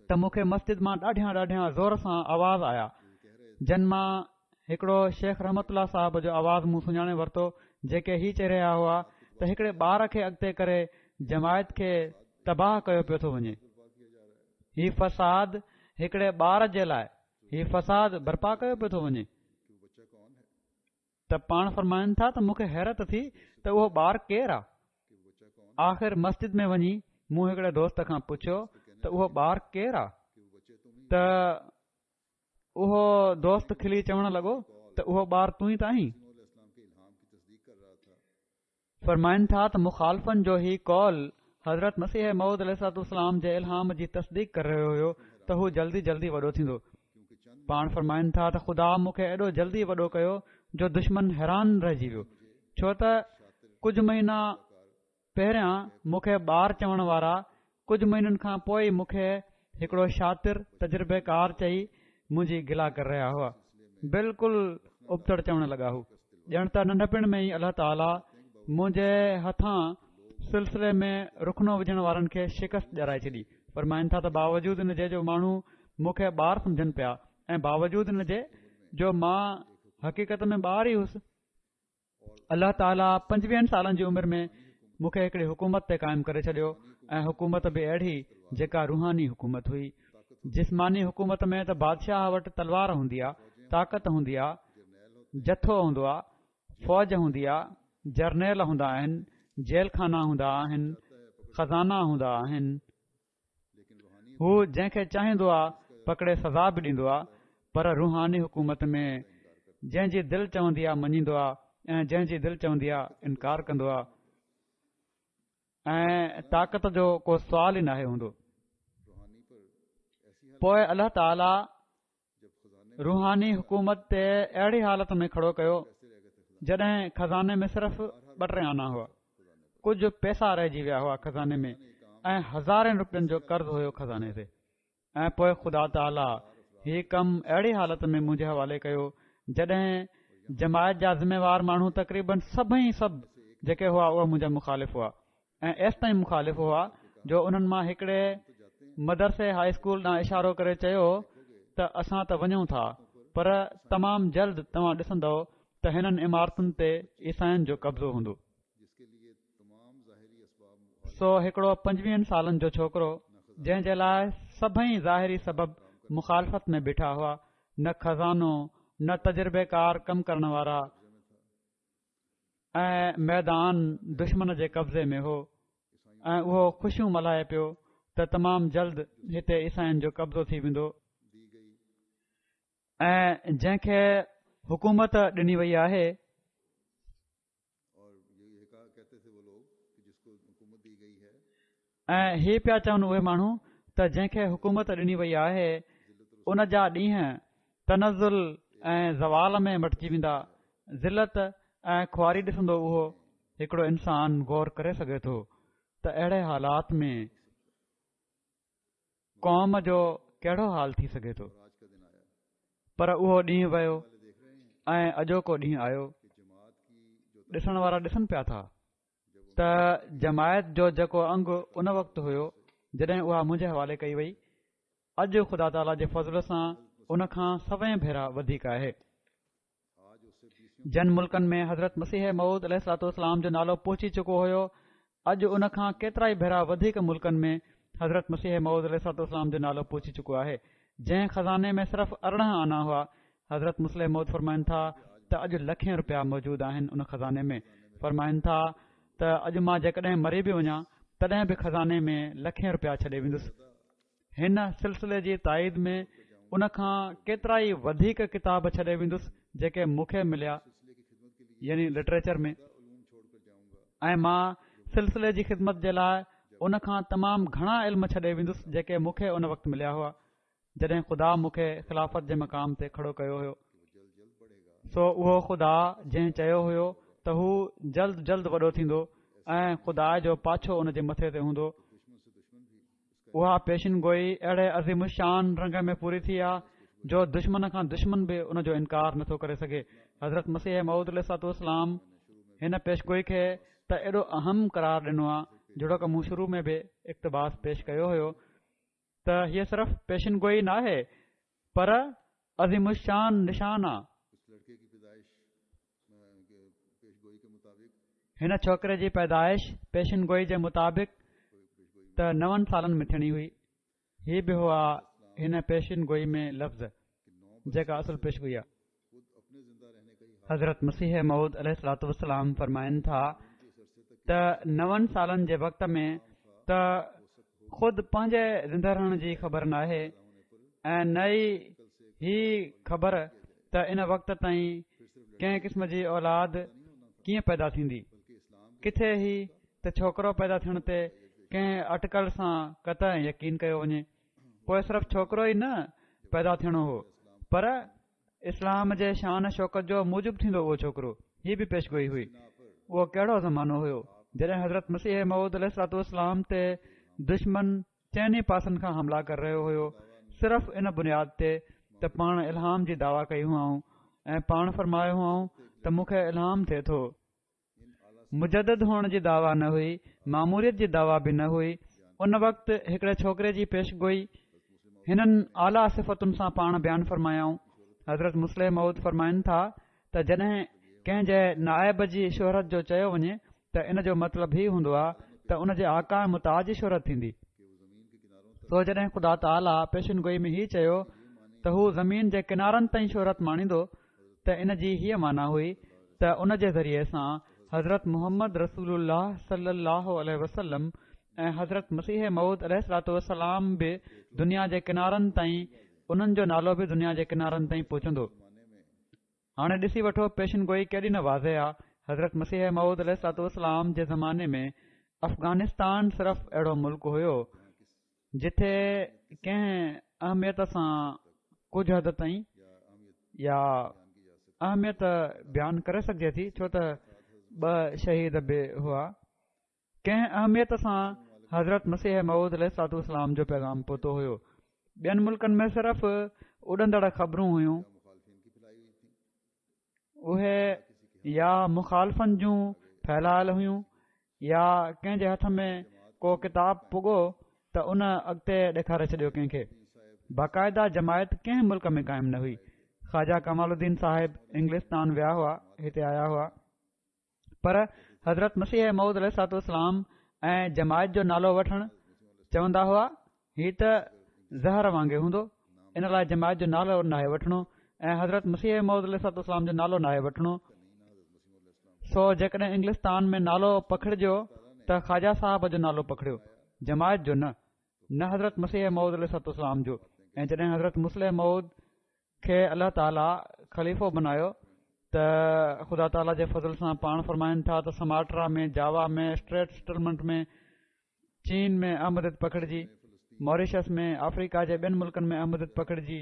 ته مون کي مسجد مان ڏاڍيان ڏاڍيان زور سان آواز آيا، جن مان هڪڙو شيخ رحمت الله صاحب جو آواز مون سڃاڻي ورتو، جيڪي هي چئي رهيا هئا ته هڪڙي ٻار کي اڳتي ڪري جماعت کي تباهه ڪيو پيو ٿو وڃي، هي فساد هڪڙي ٻار جي لاء هي فساد برپا ڪيو پيو ٿو وڃي. ته پاڻ فرمائن ٿا ته مون کي حيرت ٿي ته اهو ٻار ڪير آ؟ آخر مسجد ۾ وڃي مون هڪڙي دوست کان پڇيو ته اهو ٻار ڪير آ؟ ته اهو دوست کلي چوڻ لڳو ته اهو ٻار تون ئي ته آهين. فرمائن ٿا ته مخالفن جو هي قول حضرت مسيح موعود عليه الصلوة والسلام جي الهام جي تصديق ڪري رهيو هيو ته هو جلدي جلدي وڏو ٿيندو. پاڻ فرمائن ٿا ته خدا مون کي ايڏو جلدي وڏو ڪيو جو دشمن حيران رهجي ويو، ڇو ته ڪجهه مهينا پهريان مون کي ٻار چوڻ وارا ڪجهه مهينن کان پوء ئي مون کي هڪڙو شاطر تجربيڪار چئي منهنجي گلا ڪري رهيا هئا. بلڪل ابتڙ چوڻ لڳا هو، ڄڻ ته ننڍپڻ ۾ ئي الله تعاليٰ منهنجي هٿان سلسلي ۾ رخنو وجهڻ وارن کي شڪست ڏيارائي ڇڏي. فرمائن ٿا ته باوجود ان جي جو ماڻهو مون کي ٻار سمجهن پيا ۽ باوجود ان جي جو مان حقيقت ۾ ٻار ئي هئس، الله تعاليٰ پنجويهن سالن جي عمر ۾ مون کي هڪڙي حڪومت تي قائم ڪري ڇڏيو ۽ حڪومت به اهڙي جيڪا روحاني حڪومت هئي. جسماني حڪومت ۾ ته بادشاهه وٽ تلوار هوندي آ، طاقت هوندي آ، جٿو هوندو آ، فوج هوندي آ، جرنيل هوندا آهن، جيل خانا هوندا آهن، خزانا هوندا آهن. هو جنهن کي چاهيندو آ پڪڙي سزا به ڏيندو آ، پر روحاني حڪومت ۾ جنهن جي دل چوندي آ مڃيندو آ ۽ جنهن جي دل چوندي آ انڪار ڪندو آ ۽ طاقت جو ڪو سوال ئي ناهي هوندو. پوءِ الله تعاليٰ روحاني حڪومت تي اهڙي حالت ۾ کڙو ڪيو جڏهن خزاني ۾ صرف ٻه ٽي آنا هئا، ڪجهه پئسا رهجي ويا هئا خزاني ۾ ۽ هزارين روپين جو قرض هيو خزاني تي. ۽ پوءِ خدا تعاليٰ هي ڪم اهڙي حالت ۾ منهنجي حوالي ڪيو جڏهن جماعت جا ذميوار ماڻهو تقريبن سڀئي سڀ جيڪي هئا اهي منهنجا مخالف هئا ۽ ايستائين مخالف هئا جو انهن مان هڪڙي مدرسي هائي اسڪول ڏانهن اشارو ڪري چيو ته اسان ته وڃون ٿا، پر تمام جلد توهان ڏسندؤ ته هنن عمارتن تي عيسائين جو قبضو هوندو. سو هڪڙو پنجويهن سالن جو ڇوڪرو جنهن جي لاءِ سڀئي ظاهري سبب مخالفت ۾ بيٺا هئا، نه خزانو نه تجربيڪار ڪم ڪرڻ وارا ۽ ميدان دشمن جي قبضي ۾ هو ۽ اهو خوشيون ملهائي پيو ته تمام جلد هتي عيسائين جو قبضو ٿي ويندو ۽ جنهن کي حڪومت ڏني وئي آهي ۽ هي پيا چون اهي ماڻهو ته جنهن کي حڪومت ڏني وئي آهي ان جا ڏينهن تنزل ۽ زوال ۾ مٽجي ويندا، ذلت ۽ خواري ڏسندو. اهو هڪڙو انسان غور ڪري سگهي ٿو ته اهڙي حالات ۾ قوم جو ڪهڙو حال ٿي سگهي ٿو. پر اهو ڏينهن ويو ۽ اڄوڪو ڏينهن آيو. ڏسڻ وارا ڏسن پيا ٿا ته جماعت جو جيڪو انگ ان وقت هيو جڏهن اها منهنجي حوالي ڪئي وئي، اڄ خدا تعاليٰ جي فضل سان ان کان سوين ڀيرا وڌيڪ آهي. جن ملڪن ۾ حضرت مسيح موعود عليه الصلوة والسلام جو نالو پهچي چڪو هيو، اڄ ان کان ڪيترائي ڀيرا وڌيڪ ملڪن ۾ حضرت مسيح موعود عليه الصلوة والسلام جو نالو پهچي چڪو آهي. جنهن خزاني ۾ صرف ارڙهن آنا هئا، حضرت مصلح موعود فرمائن ٿا ته اڄ لکين روپيا موجود آهن ان خزاني ۾. فرمائن ٿا ته اڄ مان جيڪڏهن مري به وڃان تڏهن به خزاني ۾ لکين روپيا ڇڏي ويندس. هن سلسلي جي تائيد ۾ ان کان ڪيترائي وڌيڪ ڪتاب ڇڏي ويندس جيڪي مون کي مليا، يعني لٽريچر ۾، ۽ مان سلسلي جي خدمت جي لاءِ ان کان تمام گهڻا علم ڇڏي ويندس جيڪي مون کي ان وقت مليا هئا جڏهن خدا مون کي خلافت جي مقام تي کڙو ڪيو هيو. سو اهو خدا جنهن چيو هيو ته هو جلد جلد وڏو ٿيندو ۽ خدا جو پاڇو ان جي مٿي تي هوندو، اها پيشن گوئي اهڙي عظيم الشان رنگ ۾ پوري ٿي آ جو دشمن کان دشمن به ان جو انڪار نٿو ڪري سگهي. حضرت مسيح موعود عليه الصلوة والسلام هن پيشگوئي کي ته ايڏو اهم قرار ڏنو آ، جهڙوڪ مون شروع ۾ به اقتباس پيش ڪيو هيو، ته هيء صرف پيشن گوئي ناهي پر عظيم الشان نشان آ. هن ڇوڪري جي پيدائش پيشن گوئي جي مطابق ته نون سالن ۾ ٿيڻي هئي. هي به هئا هن پيشن گوئي ۾ لفظ جيڪا اصل پيشگوئي آ. حضرت مسيح موعود عليه الصلوة والسلام فرمائن ٿا ته نون سالن جي وقت ۾ ته خود پنهنجي زنده رهڻ جي خبر ناهي ۽ نه ئي هي خبر ته ان وقت تائين ڪنهن قسم جي اولاد ڪيئن پيدا ٿيندي. ڪٿي هي ته ڇوڪرو پيدا ٿيڻ تي ڪنهن اٽڪل سان قطع يقين ڪيو وڃي. پوءِ صرف ڇوڪرو ئي نه پيدا ٿيڻو هو پر اسلام جي شان شوڪت جو موجب ٿيندو اهو ڇوڪرو. هي به پيشگوئي هئي. اهو ڪهڙو زمانو هيو جڏهن حضرت مسيح موعود عليه الصلوة والسلام تي دشمن چئني پاسن کان حملا ڪري رهيو هيو، صرف ان بنياد تي ته پاڻ الهام جي دعويٰ ڪئي هئائون ۽ پاڻ فرمايو هئائون ته مون کي الهام ٿئي ٿو مجدد هئڻ جي دعويٰ نه هئي، ماموريت جي دعويٰ به نه هئي. ان وقت هڪڙي ڇوڪري جي پيشگوئي هنن اعليٰ صفتن سان پاڻ بيان فرمايائون. حضرت مصلح موعود فرمائن ٿا ته جڏهن ڪنهن جي نائب جي شهرت جو چيو وڃي ته ان جو مطلب هي هوندو آهي ته ان جي آقا ۽ مطاع جي شهرت ٿيندي. سو جڏهن خدا تعاليٰ پيشن گوئي ۾ هي چيو ته هو زمين جي ڪنارن تائين شهرت ماڻيندو ته ان جي هيء معنيٰ هئي ته ان جي ذريعي سان حضرت محمد رسول الله صلي الله عليه وسلم ۽ حضرت مسيح موعود عليه الصلوة والسلام به دنيا جي ڪنارن تائين، انهن جو نالو به دنيا جي ڪنارن تائين پهچندو. هاڻي ڏسي وٺو پيشن گوئي ڪيڏي نه واضح آ. حضرت مسيح موعود عليه الصلوة والسلام جي زماني ۾ افغانستان صرف اهڙو ملڪ هيو جتي ڪنهن اهميت سان ڪجهه حد تائين يا اهميت بيان ڪري سگهجي ٿي، ڇو ته ٻه شهيد به هئا، ڪنهن اهميت سان حضرت مسيح موعود عليه الصلوة والسلام جو پيغام پهتو هيو. ٻين ملڪن ۾ صرف اڏندڙ خبرون هيون، اهي يا مخالفن جون ڦهلايل هيون يا ڪنهن جي هٿ ۾ ڪو ڪتاب پڳو ته ان اڳتي ڏيکاري ڇڏيو ڪنهن کي. باقاعده جماعت ڪنهن ملڪ ۾ قائم نه هئي. خواجه ڪمال الدين صاحب انگلستان ويا هئا، هتي آيا هئا، پر حضرت مسيح موعود عليه الصلوة والسلام ۽ جماعت جو نالو وٺڻ چوندا هئا هي ته زهر وانگي هوندو، ان لاء جماعت جو نالو ناهي وٺڻو ۽ حضرت مسيح موعود عليه الصلوة والسلام جو نالو ناهي وٺڻو. سو جيڪڏهن انگلستان ۾ نالو پکڙجيو ته خواجه صاحب جو نالو پکڙيو، جماعت جو نه، نه حضرت مسيح موعود عليه الصلوة والسلام جو. ۽ جڏهن حضرت مصلح موعود کي الله تعاليٰ خليفو بنايو ته خدا تعاليٰ جي فضل سان پاڻ فرمائن ٿا ته سماٽرا ۾، جاوا ۾، اسٽريٽ سيٽلمينٽ ۾، چين ۾ احمديت پکڙجي، ماريشس ۾، آفريڪا جي ٻين ملڪن ۾ احمديت پکڙجي،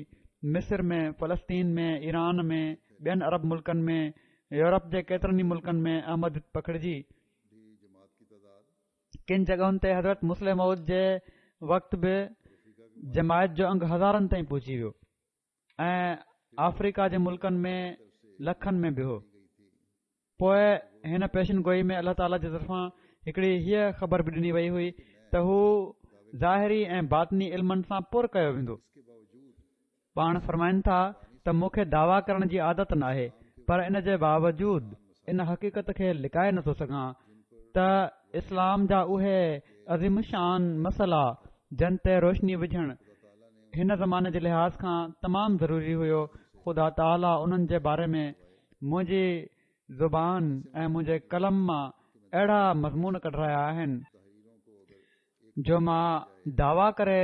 مصر ۾، فلسطين ۾، ايران ۾، ٻين عرب ملڪن ۾، يورپ جي ڪيترن ئي ملڪن ۾ احمديت پکڙجي. ڪن جڳهن تي حضرت مصلح موعود جي وقت به جماعت جو انگ هزارن تائين پهچي ويو ۽ آفريڪا جي ملڪن ۾ لکن ۾ به هو. پوء هن پيشن گوئي ۾ الله تعاليٰ جي طرفان هڪڙي هيء خبر به ڏني وئي هئي ته هو ظاهري ۽ باطني علمن سان پر ڪيو ويندو. پاڻ فرمائن ٿا ته مون کي دعويٰ ڪرڻ جي عادت ناهي، پر ان جي باوجود ان حقيقت کي لڪائي نٿو سگهان ته اسلام جا اهي عظيم الشان مسئلا جن تي روشني وجهڻ هن زماني جي لحاظ کان تمام ضروري هيو، خدا تعاليٰ انهن جي باري ۾ منهنجي زبان ۽ منهنجي قلم مان اهڙا مضمون ڪڍرايا آهن جو مان دعويٰ ڪري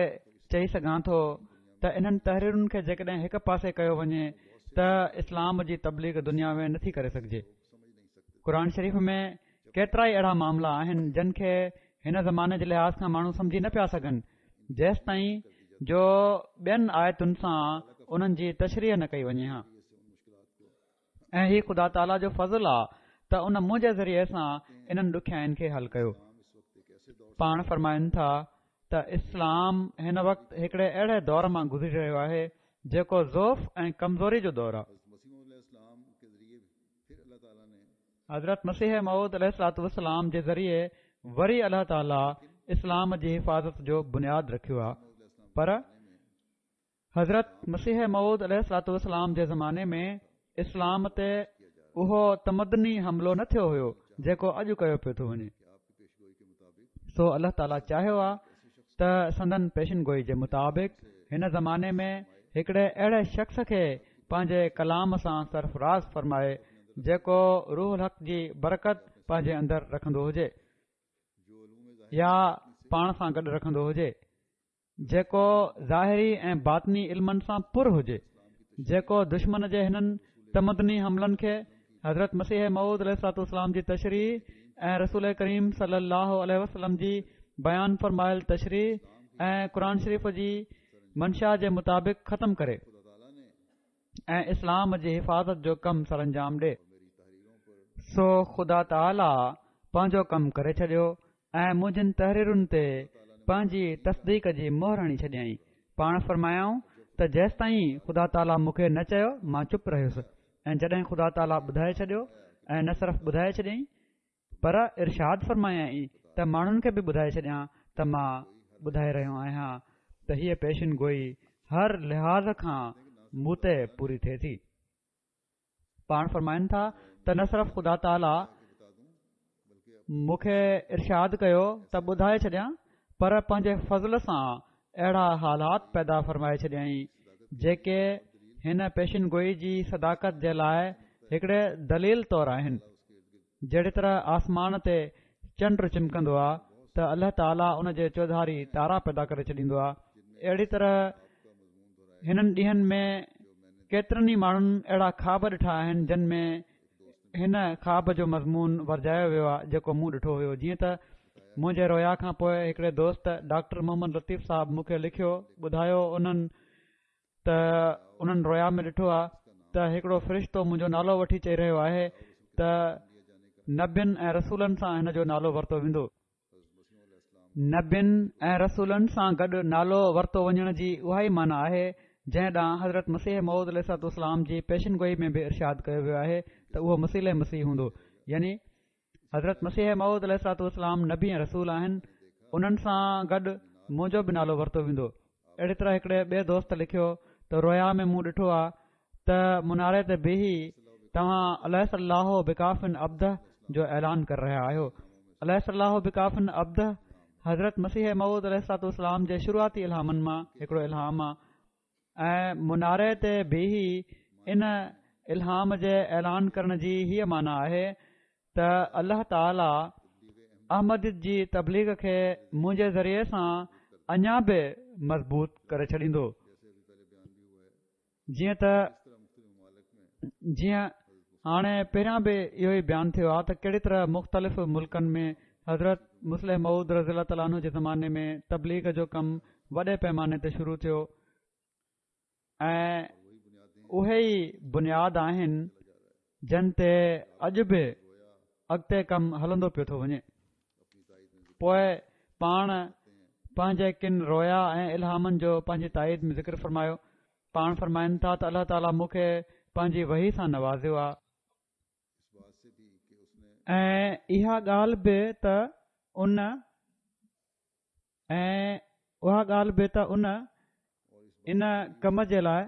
چئي سگهان ٿو ته انهن تحريرن کي جيڪڏهن هڪ پاسي ڪيو وڃي ته اسلام جي تبليغ دنيا ۾ نٿي ڪري سگهجي. قرآن شريف ۾ ڪيترائي اهڙا معاملا آهن جن کي هن زماني جي لحاظ کان ماڻهو سمجهي نه پيا سگهن، جيستائين جو ٻين آيتن سان انهن جي تشريح نه ڪئي وڃي ها. ۽ هي خدا تعاليٰ جو فضل آ ته ان منهنجي ذريعي سان انهن ڏکيائين کي حل ڪيو. پاڻ فرمائن ٿا ته اسلام هن وقت هڪڙي اهڙي دور مان گذري رهيو آهي جيڪو ضعف ۽ ڪمزوري جو دور آ. حضرت مسيح موعود عليه الصلوة والسلام جي ذريعي وري الله تعاليٰ اسلام جي حفاظت جو بنياد رکيو آ، پر حضرت مسيح موعود عليه الصلوة والسلام جي زماني ۾ اسلام تي اهو تمدني حملو نه ٿيو هيو جيڪو اڄ ڪيو پيو ٿو وڃي. سو الله تعاليٰ چاهيو آ ته سندن پيشن گوئي جي مطابق هن زماني ۾ هڪڙي اهڙي شخص کي پنهنجي ڪلام سان سرفراز فرمائي جيڪو روح الحق جي برڪت پنهنجي اندر رکندو هجي يا پاڻ سان گڏ رکندو هجي. جيڪو ظاهري ۽ باطني علمن سان پر هجي، جيڪو دشمن جي هنن تمدني حملن کي حضرت مسيح موعود عليه الصلوة والسلام جي تشريح ۽ رسول ڪريم صلي الله عليه وسلم جي بيان فرمايل تشريح ۽ قرآن شريف جي منشا جي مطابق ختم ڪري ۽ اسلام جي حفاظت جو ڪم سرانجام ڏي. سو خدا تعاليٰ پنهنجو ڪم ڪري ڇڏيو ۽ منهنجين تحريرن تي پنهنجي تصديق جي مهر هڻي ڇڏيائين. پاڻ فرمايائون ته جيستائين خدا تعاليٰ مون کي نه چيو مان چپ رهيس ۽ جڏهن خدا تعاليٰ ٻڌائي ڇڏيو ۽ نه صرف ٻڌائي ڇڏيائين پر ارشاد فرمايائين ته ماڻهن کي به ٻڌائي ڇڏيان ته مان ٻڌائي رهيو آهيان ته هيء پيشن گوئي هر لحاظ کان مون تي پوري ٿئي ٿي. پاڻ فرمائن ٿا ته نه صرف خدا تعاليٰ مون کي ارشاد ڪيو ته ٻڌائي ڇڏيان، پر پنهنجي فضل سان اهڙا حالات پيدا فرمائي ڇڏيائين جيڪي هن پيشن گوئي جي صداقت جي لاءِ هڪڙي دليل طور آهن. جهڙي طرح آسمان تي چنڊ چمڪندو آهي ته الله تعاليٰ ان جي چوڌاري تارا پيدا ڪري ڇڏيندو آهي، اهڙي طرح هنن ڏينهن ۾ ڪيترن ئي ماڻهن اهڙا خواب ڏٺا آهن جن ۾ هن خواب جو مضمون ورجايو ويو آهي جيڪو مون ڏٺو هيو. جيئن ته منهنجي رويا کان پوءِ هڪڙي دوست ڊاڪٽر محمد لطيف صاحب مون کي لکيو، ٻڌايو انهن ته انهن رويا ۾ ڏٺو آهي ته هڪڙو فرشتو منهنجو نالو وٺي چئي رهيو آهي ته نبين ۽ رسولن سان هن جو نالو ورتو ويندو. نبين ۽ رسولن سان گڏ نالو ورتو وڃڻ جي اها ئي معنيٰ آهي جنهن ڏانهن حضرت مسيح موعود عليه الصلوة والسلام جي پيشن گوئي ۾ به ارشاد ڪيو ويو آهي ته اهو مسيله مسيح هوندو. يعني حضرت مسيح موعود عليه الصلوة والسلام نبي ۽ رسول آهن، انهن سان گڏ منهنجو به نالو ورتو ويندو. اهڙي طرح هڪڙي ٻئي دوست لکيو ته رويا ۾ مون ڏٺو آهي ته مناري تي بيهي توهان اليس الله بڪاف عبده جو اعلان ڪري رهيا آهيو. اليس الله بڪاف عبده حضرت مسيح موعود عليه الصلوة والسلام جي شروعاتي الهامن مان هڪڙو الهام آهي ۽ مناري تي بيهي ان الهام جي اعلان ڪرڻ جي هيءَ معنيٰ آهي ته الله تعاليٰ احمديت جي تبليغ کي منهنجي ذريعي سان اڃا به مضبوط ڪري ڇڏيندو. جيئن ته جيئن هاڻي پهريان به اهو ئي بيان ٿيو آهي ته ڪهڙي طرح مختلف ملڪن ۾ حضرت مصلح موعود رضي الله تعاليٰ عنه جي زماني ۾ تبليغ جو ڪم وڏي پيماني تي شروع ٿيو ۽ اهي ئي بنياد آهن جن تي اڄ به اڳتي ڪم هلندو پيو ٿو وڃي. پوءِ پاڻ پنهنجي ڪن رويا ۽ الهامن جو پنهنجي تائيد ۾ ذڪر فرمايو. پاڻ فرمائن ٿا ته الله تعاليٰ مون کي پنهنجي وحي سان نوازيو آهي ۽ اها ڳالهه به ته ان ۽ اها ڳالهه به ته ان ان ڪم جي لاءِ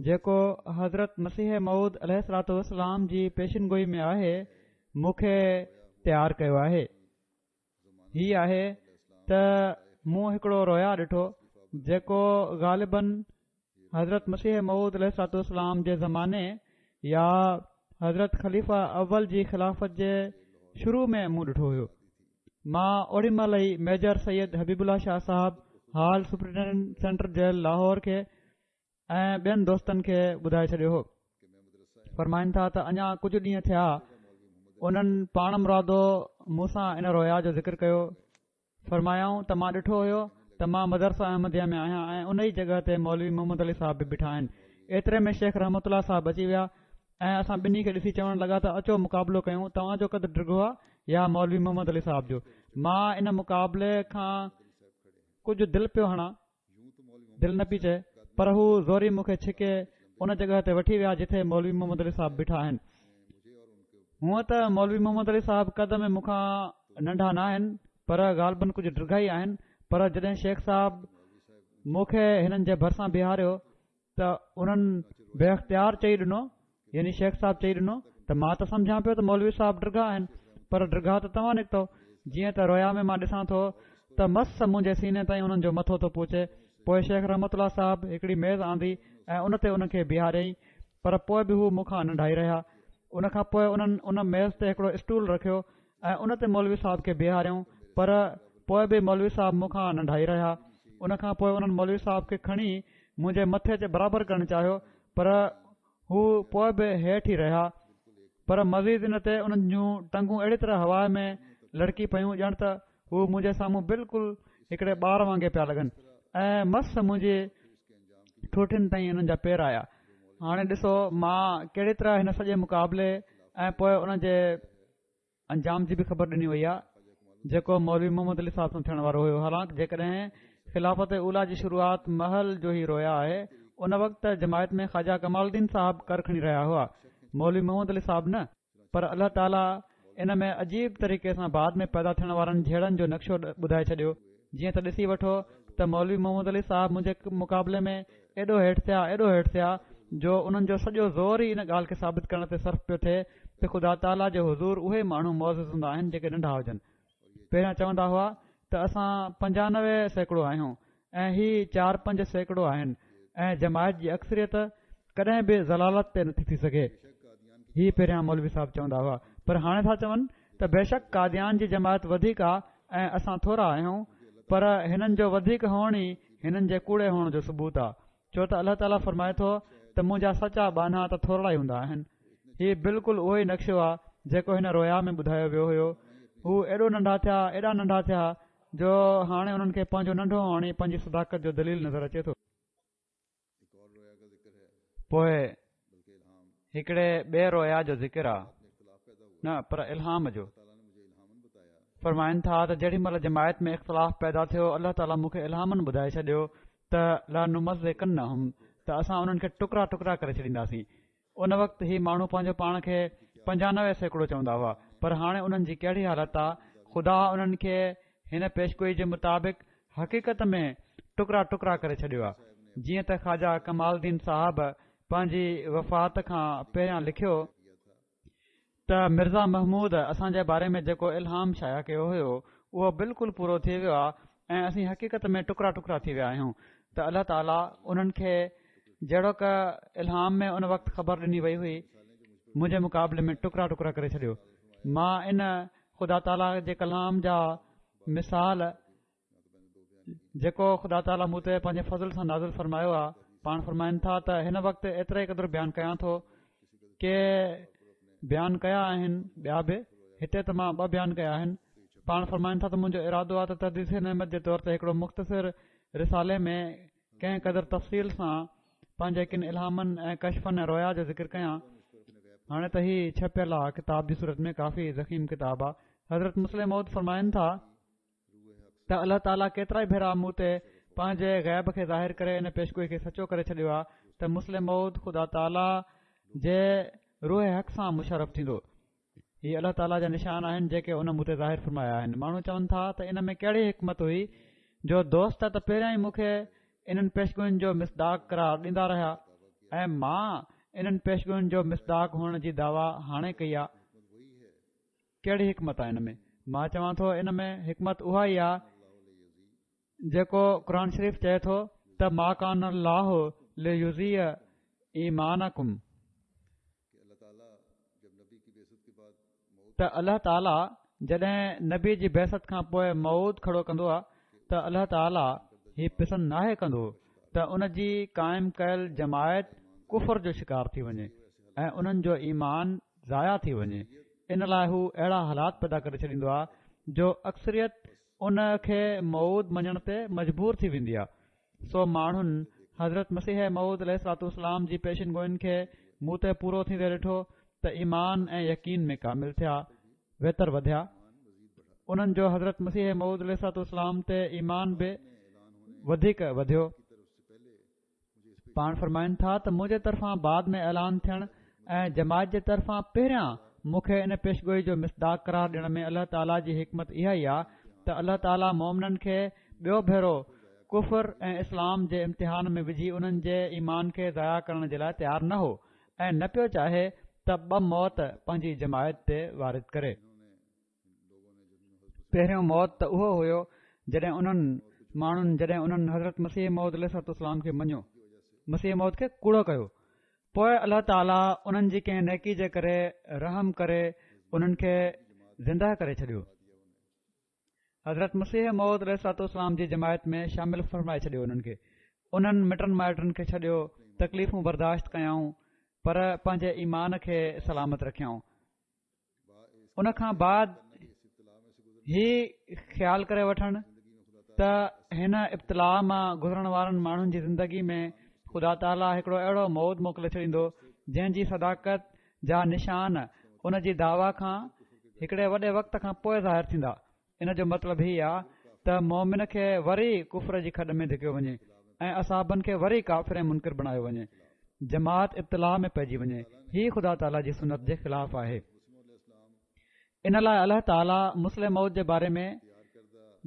جيڪو حضرت مسيح موعود عليه الصلوة والسلام جي پيشن گوئي ۾ آهي مون کي تيار ڪيو آهي. هي آهي ته مون هڪڙو رويا ڏٺو جيڪو غالباً حضرت مسيح موعود عليه الصلوة والسلام جي زماني يا حضرت خليفه اول جي خلافت جي شروع ۾ مون ڏٺو هيو. مان اوڏي مهل ئي ميجر سيد حبيب الله شاهه صاحب hall superintendent central jail Lahore کي ۽ ٻين دوستن کي ٻڌائي ڇڏيو هو. فرمائن ٿا ته اڃا ڪجهه ڏينهن ٿيا انهن پاڻ مرادو مون سان ان رويا جو ذڪر ڪيو. فرمايائون ته مان ڏٺو هيو ته مان مدرسه احمديه ۾ آهيان ۽ ان ئي جڳهه تي مولوي محمد علي صاحب به بيٺا آهن. ايتري ۾ شيخ رحمت الله صاحب اچي ويا ۽ اسان ٻنهي کي ڏسي چوڻ لڳا ته اچو مقابلو ڪيون، توهان جو قد ڊگهو آهي يا مولوي محمد علي صاحب جو؟ مان ان مقابلي کان ڪجهه دل پيو هڻان، دل نه پئي چئي، پر هو زوري مون کي ڇڪي ان جڳهه تي وٺي ويا جتي مولوي محمد علي صاحب بيٺا آهن. هونئن ته مولوي محمد علي صاحب قد ۾ مون کان ننڍا نه آهن پر غالباً ڪجهه ڊگها ئي آهن، پر جڏهن شيخ صاحب مون کي هنن جي ڀرسان بيهاريو ته انهن بي اختيار چئي ڏنو، يعني شيخ صاحب چئي ڏنو ته مان ته سمجهان پيو ته مولوي صاحب ڊگها آهن پر ڊگها ته توهان نڪتو. جيئن ته رويا ۾ مان ڏسان ٿو ته مس منهنجي سيني تائين انهن جو مٿو ٿو پهچي. پوءِ شيخ رحمت الله صاحب هڪڙي ميز آندي ۽ ان تي انهن کي بيهاريائين، پر پوءِ به هو مون کان ننڍا ئي رهيا. ان کان پوءِ انهن ان ميز تي هڪڙو اسٽول رکيو ۽ ان تي مولوي صاحب کي بيهاريائون، پر پوءِ به مولوي صاحب مون کان ننڍا ئي رهيا. ان کان پوءِ انهن مولوي صاحب کي کڻي منهنجي مٿي تي برابر ڪرڻ چاهيو، پر هو پوءِ به هيٺ ئي رهيا. پر مزيد ان تي انهن جون ٽنگون اهڙي طرح هوا ۾ لڙڪي پيون ڄڻ ته هو منهنجي سامهون بلڪل هڪڙي ٻار وانگي پيا لڳن ۽ مس منهنجي ٺوٺين تائين انهن جا پير آيا. هاڻي ڏسو مان ڪهڙي طرح هن سڄي مقابلي ۽ پوءِ ان جي انجام جي به خبر ڏني وئي آهي جيڪو مولوي محمد علي صاحب سان ٿيڻ وارو هيو. حالانڪه جيڪڏهن خلافت اوليٰ جي شروعات مهل جو هي رويا آهي، ان وقت جماعت ۾ خواجه ڪمال الدين صاحب ڪر کڻي رهيا هئا، مولوي محمد علي صاحب نه، پر الله تعاليٰ ان ۾ عجيب طريقي سان بعد ۾ پيدا ٿيڻ وارن جهيڙن جو نقشو ٻڌائي ڇڏيو. جيئن ته ڏسي وٺو ته مولوي محمد علي صاحب منهنجي مقابلي ۾ ايڏو هيٺ ٿيا ايڏو هيٺ ٿيا جو انهن جو سڄو زور ئي ان ڳالهه کي ثابت ڪرڻ تي صرف پيو ٿئي ته خدا تعاليٰ جي حضور اهي ماڻهو معزز هوندا آهن جيڪي ننڍا هجن. پهريان چوندا هئا ته اسان پنجانوي سيڪڙو آهيون ۽ هي چار پنج سيڪڙو آهن ۽ جماعت جي اڪثريت ڪڏهن به ضلالت تي نٿي ٿي سگهي. هي پهريان مولوي صاحب چوندا هئا، پر هاڻي ٿا چون ته بيشڪ قاديان جي جماعت وڌيڪ آ ۽ اسان ٿورا آهيون، پر هنن جو وڌيڪ هئڻ ئي هنن جي ڪوڙي هئڻ جو ثبوت آ، ڇو ته الله تعاليٰ فرمائي ٿو ته منهنجا سچا ٻانها ته ٿورڙا ئي هوندا آهن. هي بلڪل اهو ئي نقشو آ جيڪو هن رويا ۾ ٻڌايو ويو هيو. هو ايڏو ننڍا ٿيا ايڏا ننڍا ٿيا جو هاڻي انهن کي پنهنجو ننڍو هئڻ ئي پنهنجي صداقت جو دليل نظر اچي ٿو. پوء هڪڙي ٻئي رويا جو ذڪر آ، نه پر الهام جو. فرمائن ٿا ته جيڏي مهل جماعت ۾ اختلاف پيدا ٿيو الله تعاليٰ مون کي الهامن ٻڌائي ڇڏيو ته لنمزقنهم ته اسان انهن کي ٽڪرا ٽڪرا ڪري ڇڏينداسين. ان وقت هي ماڻهو پنهنجو پاڻ کي پنجانوي سيڪڙو چوندا هئا، پر هاڻي انهن جي ڪهڙي حالت آ؟ خدا انهن کي هن پيشگوئي جي مطابق حقيقت ۾ ٽڪرا ٽڪرا ڪري ڇڏيو آ. جيئن ته خواجه ڪمال الدين صاحب پنهنجي وفات کان پهريان لکيو ته مرزا محمود اسان جي باري ۾ جيڪو الهام شايع ڪيو هيو اهو بلڪل پورو ٿي ويو آ ۽ اسين حقيقت ۾ ٽڪرا ٽڪرا ٿي ويا آهيون. ته الله تعاليٰ انهن کي جهڙوڪ الهام ۾ ان وقت خبر ڏني وئي هئي منهنجي مقابلي ۾ ٽڪرا ٽڪرا ڪري ڇڏيو. مان ان خدا تعاليٰ جي ڪلام جا مثال جيڪو خدا تعاليٰ مون تي پنهنجي فضل سان نازل فرمايو آ، پاڻ فرمائن ٿا ته هن وقت ايتري قدر بيان ڪيان ٿو ڪي بيان ڪيا آهن ٻيا به، هتي ته مان ٻه بيان ڪيا آهن. پاڻ فرمائن ٿا ته منهنجو ارادو آ ته تحديث نعمت جي طور تي هڪڙو مختصر رسالي ۾ ڪنهن قدر تفصيل سان پنهنجي ڪن الهامن ۽ ڪشفن ۽ رويا جو ذڪر ڪيان. هاڻي ته هي ڇپيل آ ڪتاب جي صورت ۾ ڪافي ضخيم ڪتاب آ. حضرت مصلح موعود فرمائن ٿا ته الله تعاليٰ ڪيترائي ڀيرا مون تي پنهنجي غيب کي ظاهر ڪري ان پيشگوئي کي سچو ڪري ڇڏيو آ ته مصلح موعود خدا تعاليٰ جي روح حق سان مشرف ٿيندو. هي الله تعاليٰ جا نشان آهن جيڪي ان مون تي ظاهر فرمايا آهن. ماڻهو چون ٿا ته ان ۾ ڪهڙي حڪمت هئي جو دوست ته پهريان ئي مون کي انهن پيشگوئين جو مصداق قرار ڏيندا رهيا ۽ مان انهن پيشگوئين جو مصداق هئڻ جي دعويٰ هاڻي ڪئي آ. ڪهڙي حڪمت آ ان ۾؟ مان چوان ٿو ان ۾ حڪمت اها ئي آ جيڪو قرآن شريف چئي ٿو ته ما ڪان الله ليضيع ايمانڪم، ته الله تعاليٰ جڏهن نبي جي بعثت کان پوء موعود کڙو ڪندو آ ته الله تعاليٰ هي پسند ناهي ڪندو ته ان جي قائم ڪيل جماعت ڪفر جو شڪار ٿي وڃي ۽ انهن جو ايمان ضايع ٿي وڃي. ان لاء هو اهڙا حالات پيدا ڪري ڇڏيندو آ جو اڪثريت ان کي موعود مڃڻ تي مجبور ٿي ويندي آ. سو ماڻهن حضرت مسيح موعود عليه الصلوة والسلام جي پيشن گوئين کي مون تي پورو ٿيندي ڏٺو ته ايمان ۽ يقين ۾ ڪامل ٿيا، ويتر وڌيا. انهن جو حضرت مسيح موعود عليه الصلوة والسلام تي ايمان به وڌيڪ وڌيو. پاڻ فرمائن ٿا ته منهنجي طرفان بعد ۾ اعلان ٿيڻ ۽ جماعت جي طرفان پهريان مون کي ان پيشگوئي جو مصداق قرار ڏيڻ ۾ الله تعاليٰ جي حڪمت اها ئي آ ته الله تعاليٰ مؤمنن کي ٻيو ڀيرو ڪفر ۽ اسلام جي امتحان ۾ وجهي انهن جي ايمان کي ضايع ڪرڻ جي لاء تيار نه هو ۽ نه پيو چاهي ته ٻه موت پنهنجي جماعت تي وارد ڪري. پهريون موت ته اهو هيو جڏهن انهن ماڻهن جڏهن انهن حضرت مسيح موعود عليه الصلوة والسلام کي مڃيو، مسيح موعود کي ڪوڙو ڪيو، پوء الله تعاليٰ انهن جي ڪنهن نيڪي جي ڪري رحم ڪري انهن کي زنده ڪري ڇڏيو، حضرت مسيح موعود عليه الصلوة والسلام جي جماعت ۾ شامل فرمائي ڇڏيو، انهن کي انهن مٽن مائٽن کي ڇڏيو، تڪليفون برداشت ڪيائون پر پنهنجي ايمان کي سلامت رکيائون. ان کان بعد هي خيال ڪري وٺڻ ته هن ابتلاء مان گذرڻ وارن ماڻهن جي زندگي ۾ خدا تعاليٰ هڪڙو اهڙو موعود موڪلي ڇڏيندو جنهن جي صداقت جا نشان ان جي دعويٰ کان هڪڙي وڏي وقت کان پوء ظاهر ٿيندا. ان جو مطلب هي آ ته مومن کي وري ڪفر جي کڏ ۾ ڌڪيو وڃي ۽ اصحابن کي وري ڪافر ۽ منڪر بڻايو وڃي، جماعت ابتلاء ۾ پئجي وڃي. هي خدا تعاليٰ جي سنت جي خلاف آهي. ان لاءِ الله تعاليٰ مصلح موعود جي باري ۾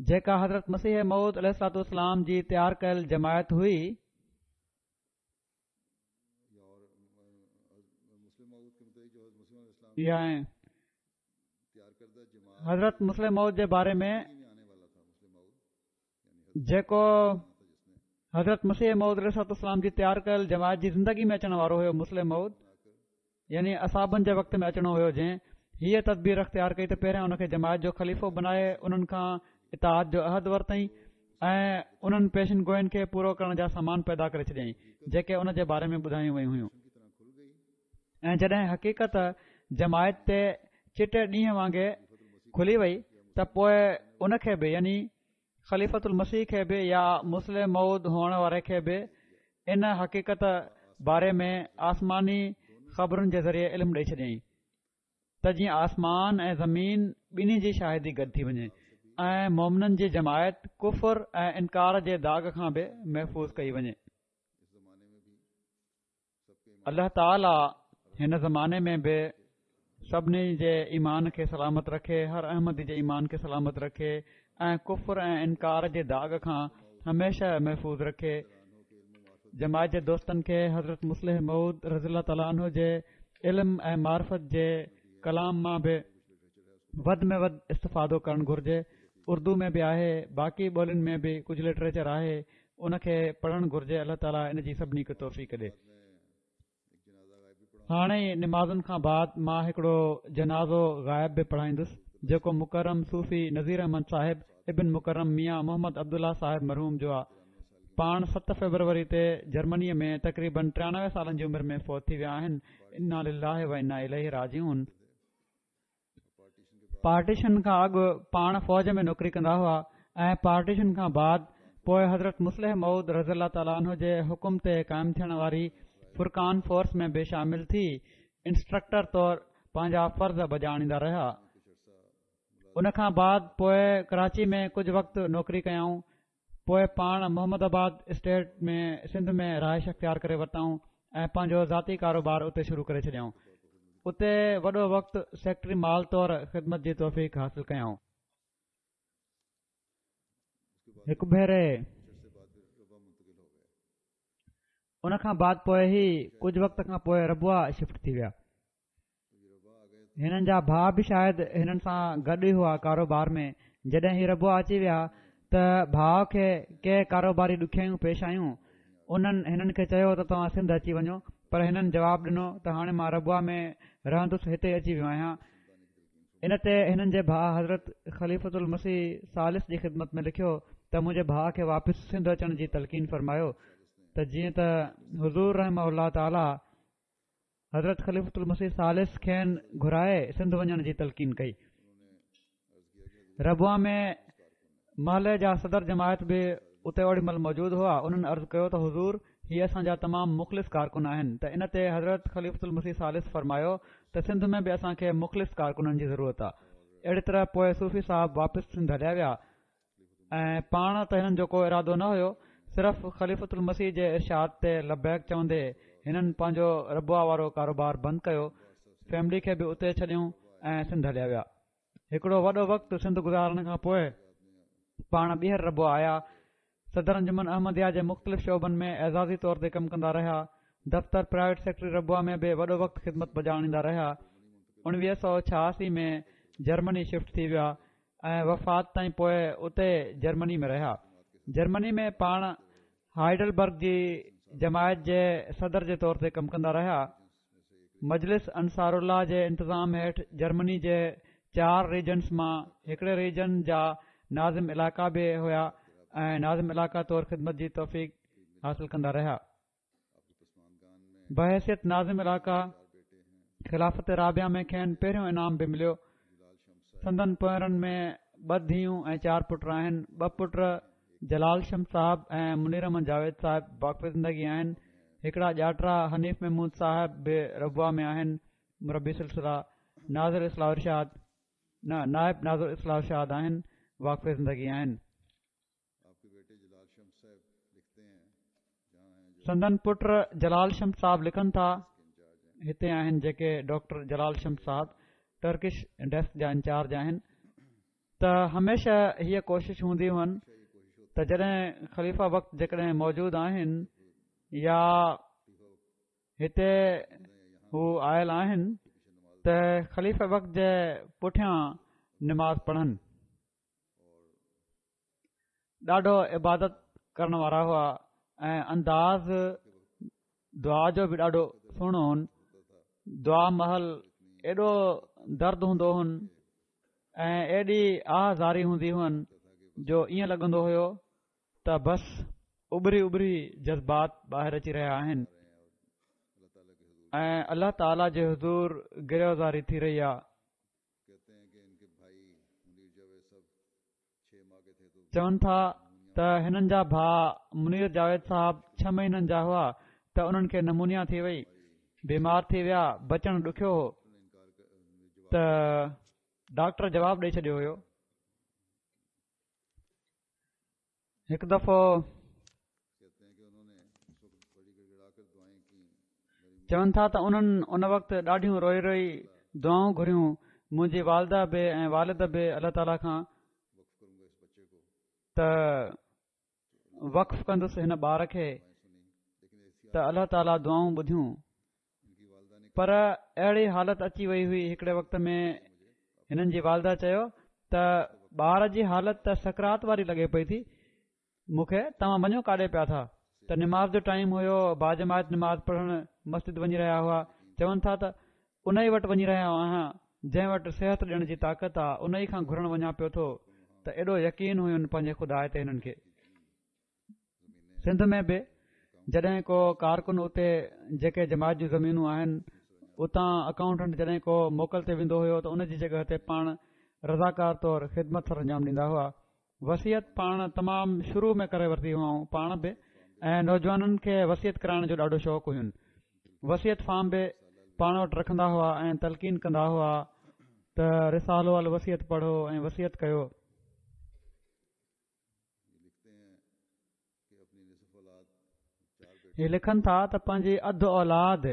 جيڪا حضرت مسيح موعود عليه الصلوة والسلام جي تيار ڪيل جماعت هئي، حضرت مصلح موعود جي باري ۾ جيڪو حضرت مسيح موعود عليه الصلوة والسلام جي تيار ڪيل جماعت جي زندگي ۾ اچڻ وارو هيو، مصلح موعود يعني اصحابن جي وقت ۾ اچڻو هيو، جنهن هيءَ تدبير اختيار ڪئي ته پهريان ان کي جماعت جو خليفو بنائي انهن کان اطاعت جو عهد ورتائين ۽ انهن پيشن گوئين کي پورو ڪرڻ جا سامان پيدا ڪري ڇڏيائين جيڪي ان جي باري ۾ ٻڌايون ويون هيون. ۽ جڏهن حقيقت جماعت تي چٽي ڏينهن وانگي کلي وئي ته پوءِ ان کي به يعني خليفة المسيح کي به يا مصلح موعود هئڻ واري کي به ان حقيقت باري ۾ آسماني خبرن جي ذريعي علم ڏئي ڇڏيائين ته جيئن آسمان ۽ زمين ٻنهي جي شاهدي گڏ ٿي وڃي ۽ مومنن جي جماعت ڪفر ۽ انڪار جي داغ کان به محفوظ ڪئي وڃي. الله تعاليٰ هن زماني ۾ به سڀني جي ايمان کي سلامت رکي، هر احمدي جي ايمان کي سلامت رکي ۽ ڪفر ۽ انڪار جي داغ کان هميشه محفوظ رکي. جماعت جي دوستن کي حضرت مصلح موعود رضي الله تعاليٰ عنه جي علم ۽ معرفت جي ڪلام مان به وڌ ۾ وڌ استفادو ڪرڻ گهرجي. اردو ۾ به آهي، باقي ٻولين ۾ به ڪجهه لٽريچر آهي، ان کي پڙهڻ گهرجي. الله تعاليٰ ان جي سڀني کي توفيق ڏي. هاڻي ئي نمازن کان بعد مان هڪڙو جنازو غائب به پڙهائيندس جيڪو مڪرم صوفي نذير احمد صاحب ابن مڪرم ميان محمد عبدالله صاحب مرحوم جو آ. پاڻ ست فيبروري تي جرمنيءَ ۾ تقريبن ٽيانوي سالن جي عمر ۾ فوت ٿي ويا آهن. انا لله و انا اليه راجعون. پارٽيشن کان اڳ پاڻ فوج ۾ نوڪري ڪندا هئا ۽ پارٽيشن کان بعد پوءِ حضرت مصلح موعود رضي الله تعاليٰ عنه جي حڪم تي قائم ٿيڻ واري فرقان فورس ۾ به شامل ٿي انسٽرڪٽر طور پنهنجا فرض بجا آڻيندا رهيا. ان کان بعد پوءِ ڪراچي ۾ ڪجهه وقت نوڪري ڪيائون. پوءِ پاڻ محمد آباد اسٽيٽ ۾ سنڌ ۾ رهائش اختيار ڪري ورتائون ۽ پنهنجو ذاتي ڪاروبار اتي شروع ڪري ڇڏيائون. اتي وڏو وقت سيڪريٽري مال طور خدمت جي توفيق حاصل ڪيائون. هڪ ڀيري ان کان بعد پوءِ هي ڪجهه وقت کان پوءِ ربوه شفٽ ٿي ويا. هنن جا ڀاءُ به شايد هنن سان گڏ ئي هئا ڪاروبار ۾. جڏهن هي ربوه اچي ويا ته ڀاءُ کي ڪي ڪاروباري ڏکيائيون پيش آيون. انهن هنن کي چيو ته توهان سنڌ اچي وڃو، پر هنن جواب ڏنو ته هاڻي مان ربوه ۾ رهندس، هتي اچي ويو آهيان. ان تي هنن جي ڀاءُ حضرت خليفة المسيح ثالث جي خدمت ۾ لکيو ته منهنجي ڀاءُ کي واپس سنڌ اچڻ جي تلقين فرمايو ته جيئن ته حضور رحمه الله تعاليٰ حضرت خليفة المسيح ثالث کين گهرائي سنڌ وڃڻ جي تلقين ڪئي. ربوه ۾ محلي جا صدر جماعت به اتي اوڏي مهل موجود هئا. انهن عرض ڪيو ته حضور هي اسان جا تمام مخلص ڪارڪن آهن. ته ان تي حضرت خليفة المسيح ثالث فرمايو ته سنڌ ۾ به اسان کي مخلص ڪارڪنن جي ضرورت آهي. اهڙي طرح پوءِ صوفي صاحب واپس سنڌ هليا ويا ۽ پاڻ ته هنن جو ڪو ارادو نه هيو، صرف خليفة المسيح جي ارشاد تي لبيڪ چوندي هنن پنهنجو ربوه وارو ڪاروبار بند ڪيو، فيملي کي به اتي ڇڏيون ۽ سنڌ هليا ويا. هڪڙو وڏو وقت سنڌ گذارڻ کان پوءِ پاڻ ٻيهر ربوه آيا. صدر انجمن احمديه جي مختلف شعبن ۾ اعزازي طور تي ڪم ڪندا رهيا. دفتر پرائيويٽ سيڪريٽري ربوه ۾ به وڏو وقت خدمت بجا آڻيندا رهيا. اڻويهه سؤ ڇهاسي ۾ جرمني شفٽ ٿي ويا ۽ وفات تائين پوءِ اتي جرمني ۾ رهيا. جرمني ۾ پاڻ هائيڊلبرگ جي جماعت جي صدر جي طور تي ڪم ڪندا رهيا. مجلس انصار الله جي انتظام هيٺ جرمني جي چار ريجنس مان هڪڙي ريجن جا ناظم علائقا به هئا ۽ ناظم علائقا طور خدمت جي توفيق حاصل ڪندا رهيا. بحيثيت ناظم علائقا خلافت رابعه ۾ کين پهريون انعام به مليو. سندن پوئرن ۾ ٻه ڌيئون ۽ چار پٽ آهن. ٻه پٽ جلال شمس صاحب ۽ منير احمد جاويد صاحب واقف زندگي آهن. هڪڙا ڄاٽرا حنيف محمود صاحب به ربوه ۾ آهن، مربي سلسله ناظر اصلاح ارشاد نه نائب ناظر اصلاح ارشاد آهن، واقف زندگي آهن. سندن پٽ جلال شمس صاحب لکن ٿا، هتي آهن جيڪي ڊاڪٽر جلال شمس صاحب ٽرڪش ڊيسڪ جا انچارج آهن ته هميشه هيءَ ڪوشش هوندي هئن ته جڏهن خليفه وقت جيڪڏهن موجود آهن يا هتي هو آيل آهن ته خليفه وقت جي پٺيان نماز پڙهن. ڏاڍو عبادت ڪرڻ وارا هئا ۽ انداز دعا جو به ڏاڍو سهڻو هن. دعا مهل ايڏو درد هوندو هن ۽ ايڏي آه زاري هوندي هئن جو ائين لڳندو هيو ته بس اٻري اٻري جذبات ٻاهر اچي رهيا آهن ۽ الله تعاليٰ جي حضور گريه زاري ٿي رهي آهي. چون ٿا ته هنن جا ڀاءُ منير جاويد صاحب ڇهه مهينن جا هئا ته انهن کي نمونيا ٿي وئي، بيمار ٿي ويا، بچڻ ڏکيو هو ته ڊاڪٽر جواب ڏئي ڇڏيو هيو. هڪ دفعو چون ٿا ته انهن ان وقت ڏاڍيون روئي روئي دعائون گهريون. منهنجي والده به ۽ والد به الله تعاليٰ کان ته وقف ڪندس هن ٻار کي ته الله تعاليٰ دعائون ٻڌيون. پر اهڙي حالت اچي وئي هئي هڪڙي وقت ۾ هنن جي والده چيو ته ٻار جي حالت ته سڪرات واري لڳي پئي ٿي مون کي، توهان وڃو ڪاڏي پيا ٿا؟ ته نماز جو ٽائيم هيو، باجماعت نماز پڙهڻ مسجد وڃي رهيا هئا. چون ٿا ته ان ئي وٽ وڃي رهيا آهيان جنهن وٽ صحت ڏيڻ جي طاقت آهي، ان ئي کان گهرڻ وڃان پيو ٿو. ته ايڏو يقين هين پنهنجي خدا تي هنن کي. سنڌ ۾ به جڏهن ڪو ڪارڪن اتي جيڪي جماعت جون زمينون آهن اتان اڪائونٽنٽ جڏهن ڪو موڪل تي ويندو هيو ته ان جي جڳهه تي پاڻ رضاڪار طور خدمت سر انجام ڏيندا هئا. وصيت پاڻ تمام شروع ۾ ڪري ورتي هئائون پاڻ به، ۽ نوجوانن کي وصيت ڪرائڻ جو ڏاڍو شوق هين. وصيت فارم به پاڻ وٽ رکندا هئا ۽ تلقين ڪندا هئا ته رسالو الوصيت پڙهو ۽ وصيت ڪيو. هي لکن ٿا ته پنهنجي اڌ اولاد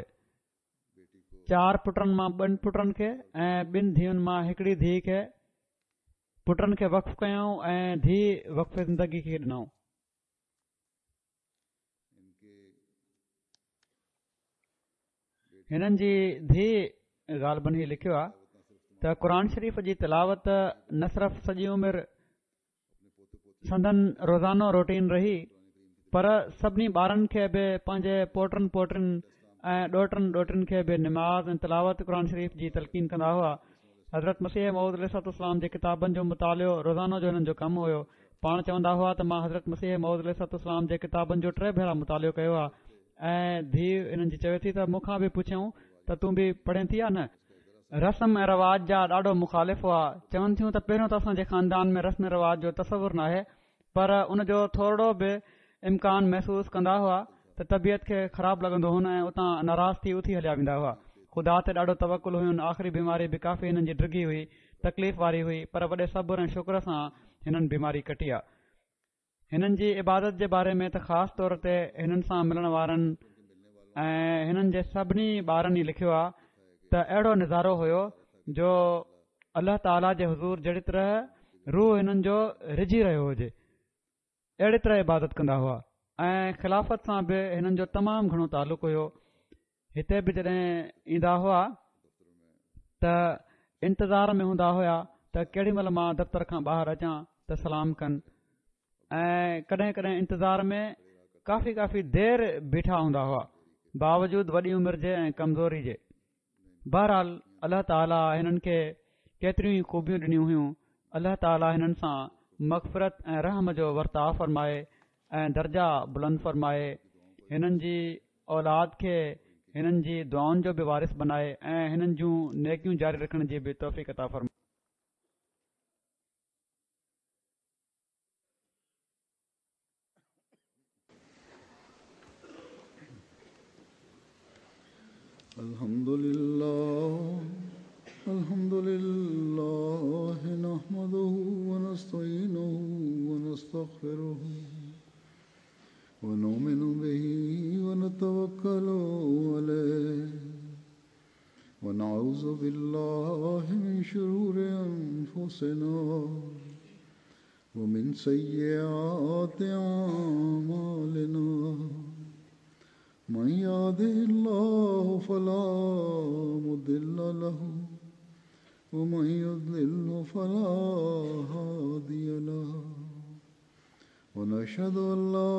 چار پٽن مان ٻن پٽن کي ۽ ٻن ڌيئن مان هڪڙي ڌيءَ کي پٽن کي وقف ڪيائون ۽ ڌيءَ وقف زندگي کي ڏنائون. هنن جي ڌيءَ غالباً هي لکيو آهي ته قرآن شريف جي تلاوت نه صرف سڄي عمر سندن روزانو روٽين رهي پر سڀني ٻارن کي به پنهنجي پوٽن پوٽن ۽ ڏوهٽن ڏوهٽن کي به نماز ۽ تلاوت قرآن شريف جي تلقين ڪندا هئا. حضرت مسيح موعود عليه الصلوة والسلام جي ڪتابن جو مطالعو روزانو جو هنن جو ڪم هيو. پاڻ چوندا هئا ته مان حضرت مسيح موعود عليه الصلوة والسلام جي ڪتابن جو ٽي ڀيرا مطالعو ڪيو آهي. ۽ ڌيءَ هنن جي چوي ٿي ته مون کان به پڇيائون ته تون به پڙهين ٿي يا نه؟ رسم ۽ رواج جا ڏاڍو مخالف هئا. چون ٿيون ته پهريون ته اسان جي خاندان ۾ رسم رواج جو تصور ناهي، پر ان جو ٿورڙو به امڪان محسوس ڪندا هئا ته طبيعت کي خراب لڳندو هن ۽ اتان ناراض ٿي اٿي هليا ويندا هئا. خدا تي ڏاڍو توڪل هين. آخري بيماري به ڪافي هنن جي ڊگهي هئي، تڪليف واري هئي، پر وڏي صبر ۽ شڪر سان هنن بيماري ڪٽي آ. هنن جي عبادت جي باري ۾ ته خاص طور تي هنن سان ملڻ وارن ۽ هنن جي سڀني ٻارن ئي لکيو آ ته اهڙو نظارو هيو جو الله تعاليٰ جي حضور جهڙي طرح روح هنن جو رجهي رهيو هجي اهڙي طرح عبادت ڪندا هئا. ۽ خلافت سان به هنن جو تمام گهڻو تعلق هيو. هتي به جڏهن ايندا هئا ته انتظار ۾ هوندا هئا ته ڪهڙي مهل مان دفتر کان ٻاهر اچان ته سلام ڪن، ۽ ڪڏهن ڪڏهن انتظار ۾ ڪافي ڪافي دير بيٺا هوندا هئا باوجود وڏي عمر جي ۽ ڪمزوري جي. بهرحال الله تعاليٰ هنن کي ڪيتريون ئي خوبيون ڏنيون هيون. الله تعاليٰ هنن سان مغفرت ۽ رحم جو ورتاءُ فرمائي ۽ درجا بلند فرمائي. هنن جي اولاد کي هنن جي دعائن جو به وارث بنائي ۽ هنن جون نيڪيون جاري رکڻ جي به توفيق عطا فرمائي. الحمد لله الحمد لله نحمده ونستعينه ونستغفره ونؤمن به ونتوكل عليه ونعوذ ونعوذ بالله من شرور أنفسنا ومن سيئات أعمالنا من يهده الله فلا مضل له ومن يضلل فلا هادي له ونشهد أن لا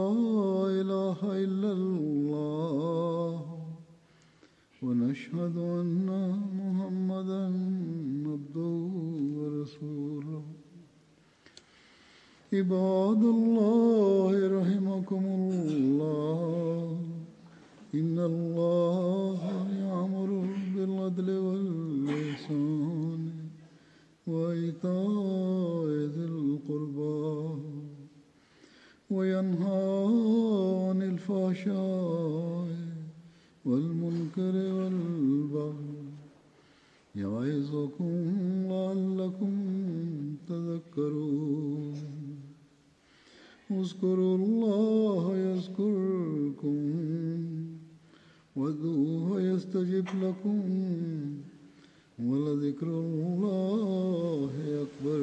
إله إلا الله ونشهد أن محمدا عبده ورسوله. عباد الله رحمكم الله، إن الله يأمر بالعدل والإحسان وإيتاء ذي القربى وينهى عن الفحشاء والمنكر والبغي يعظكم لعلكم تذكرون. اذكروا الله يذكركم وادعوه يستجب لكم ولذكر الله أكبر.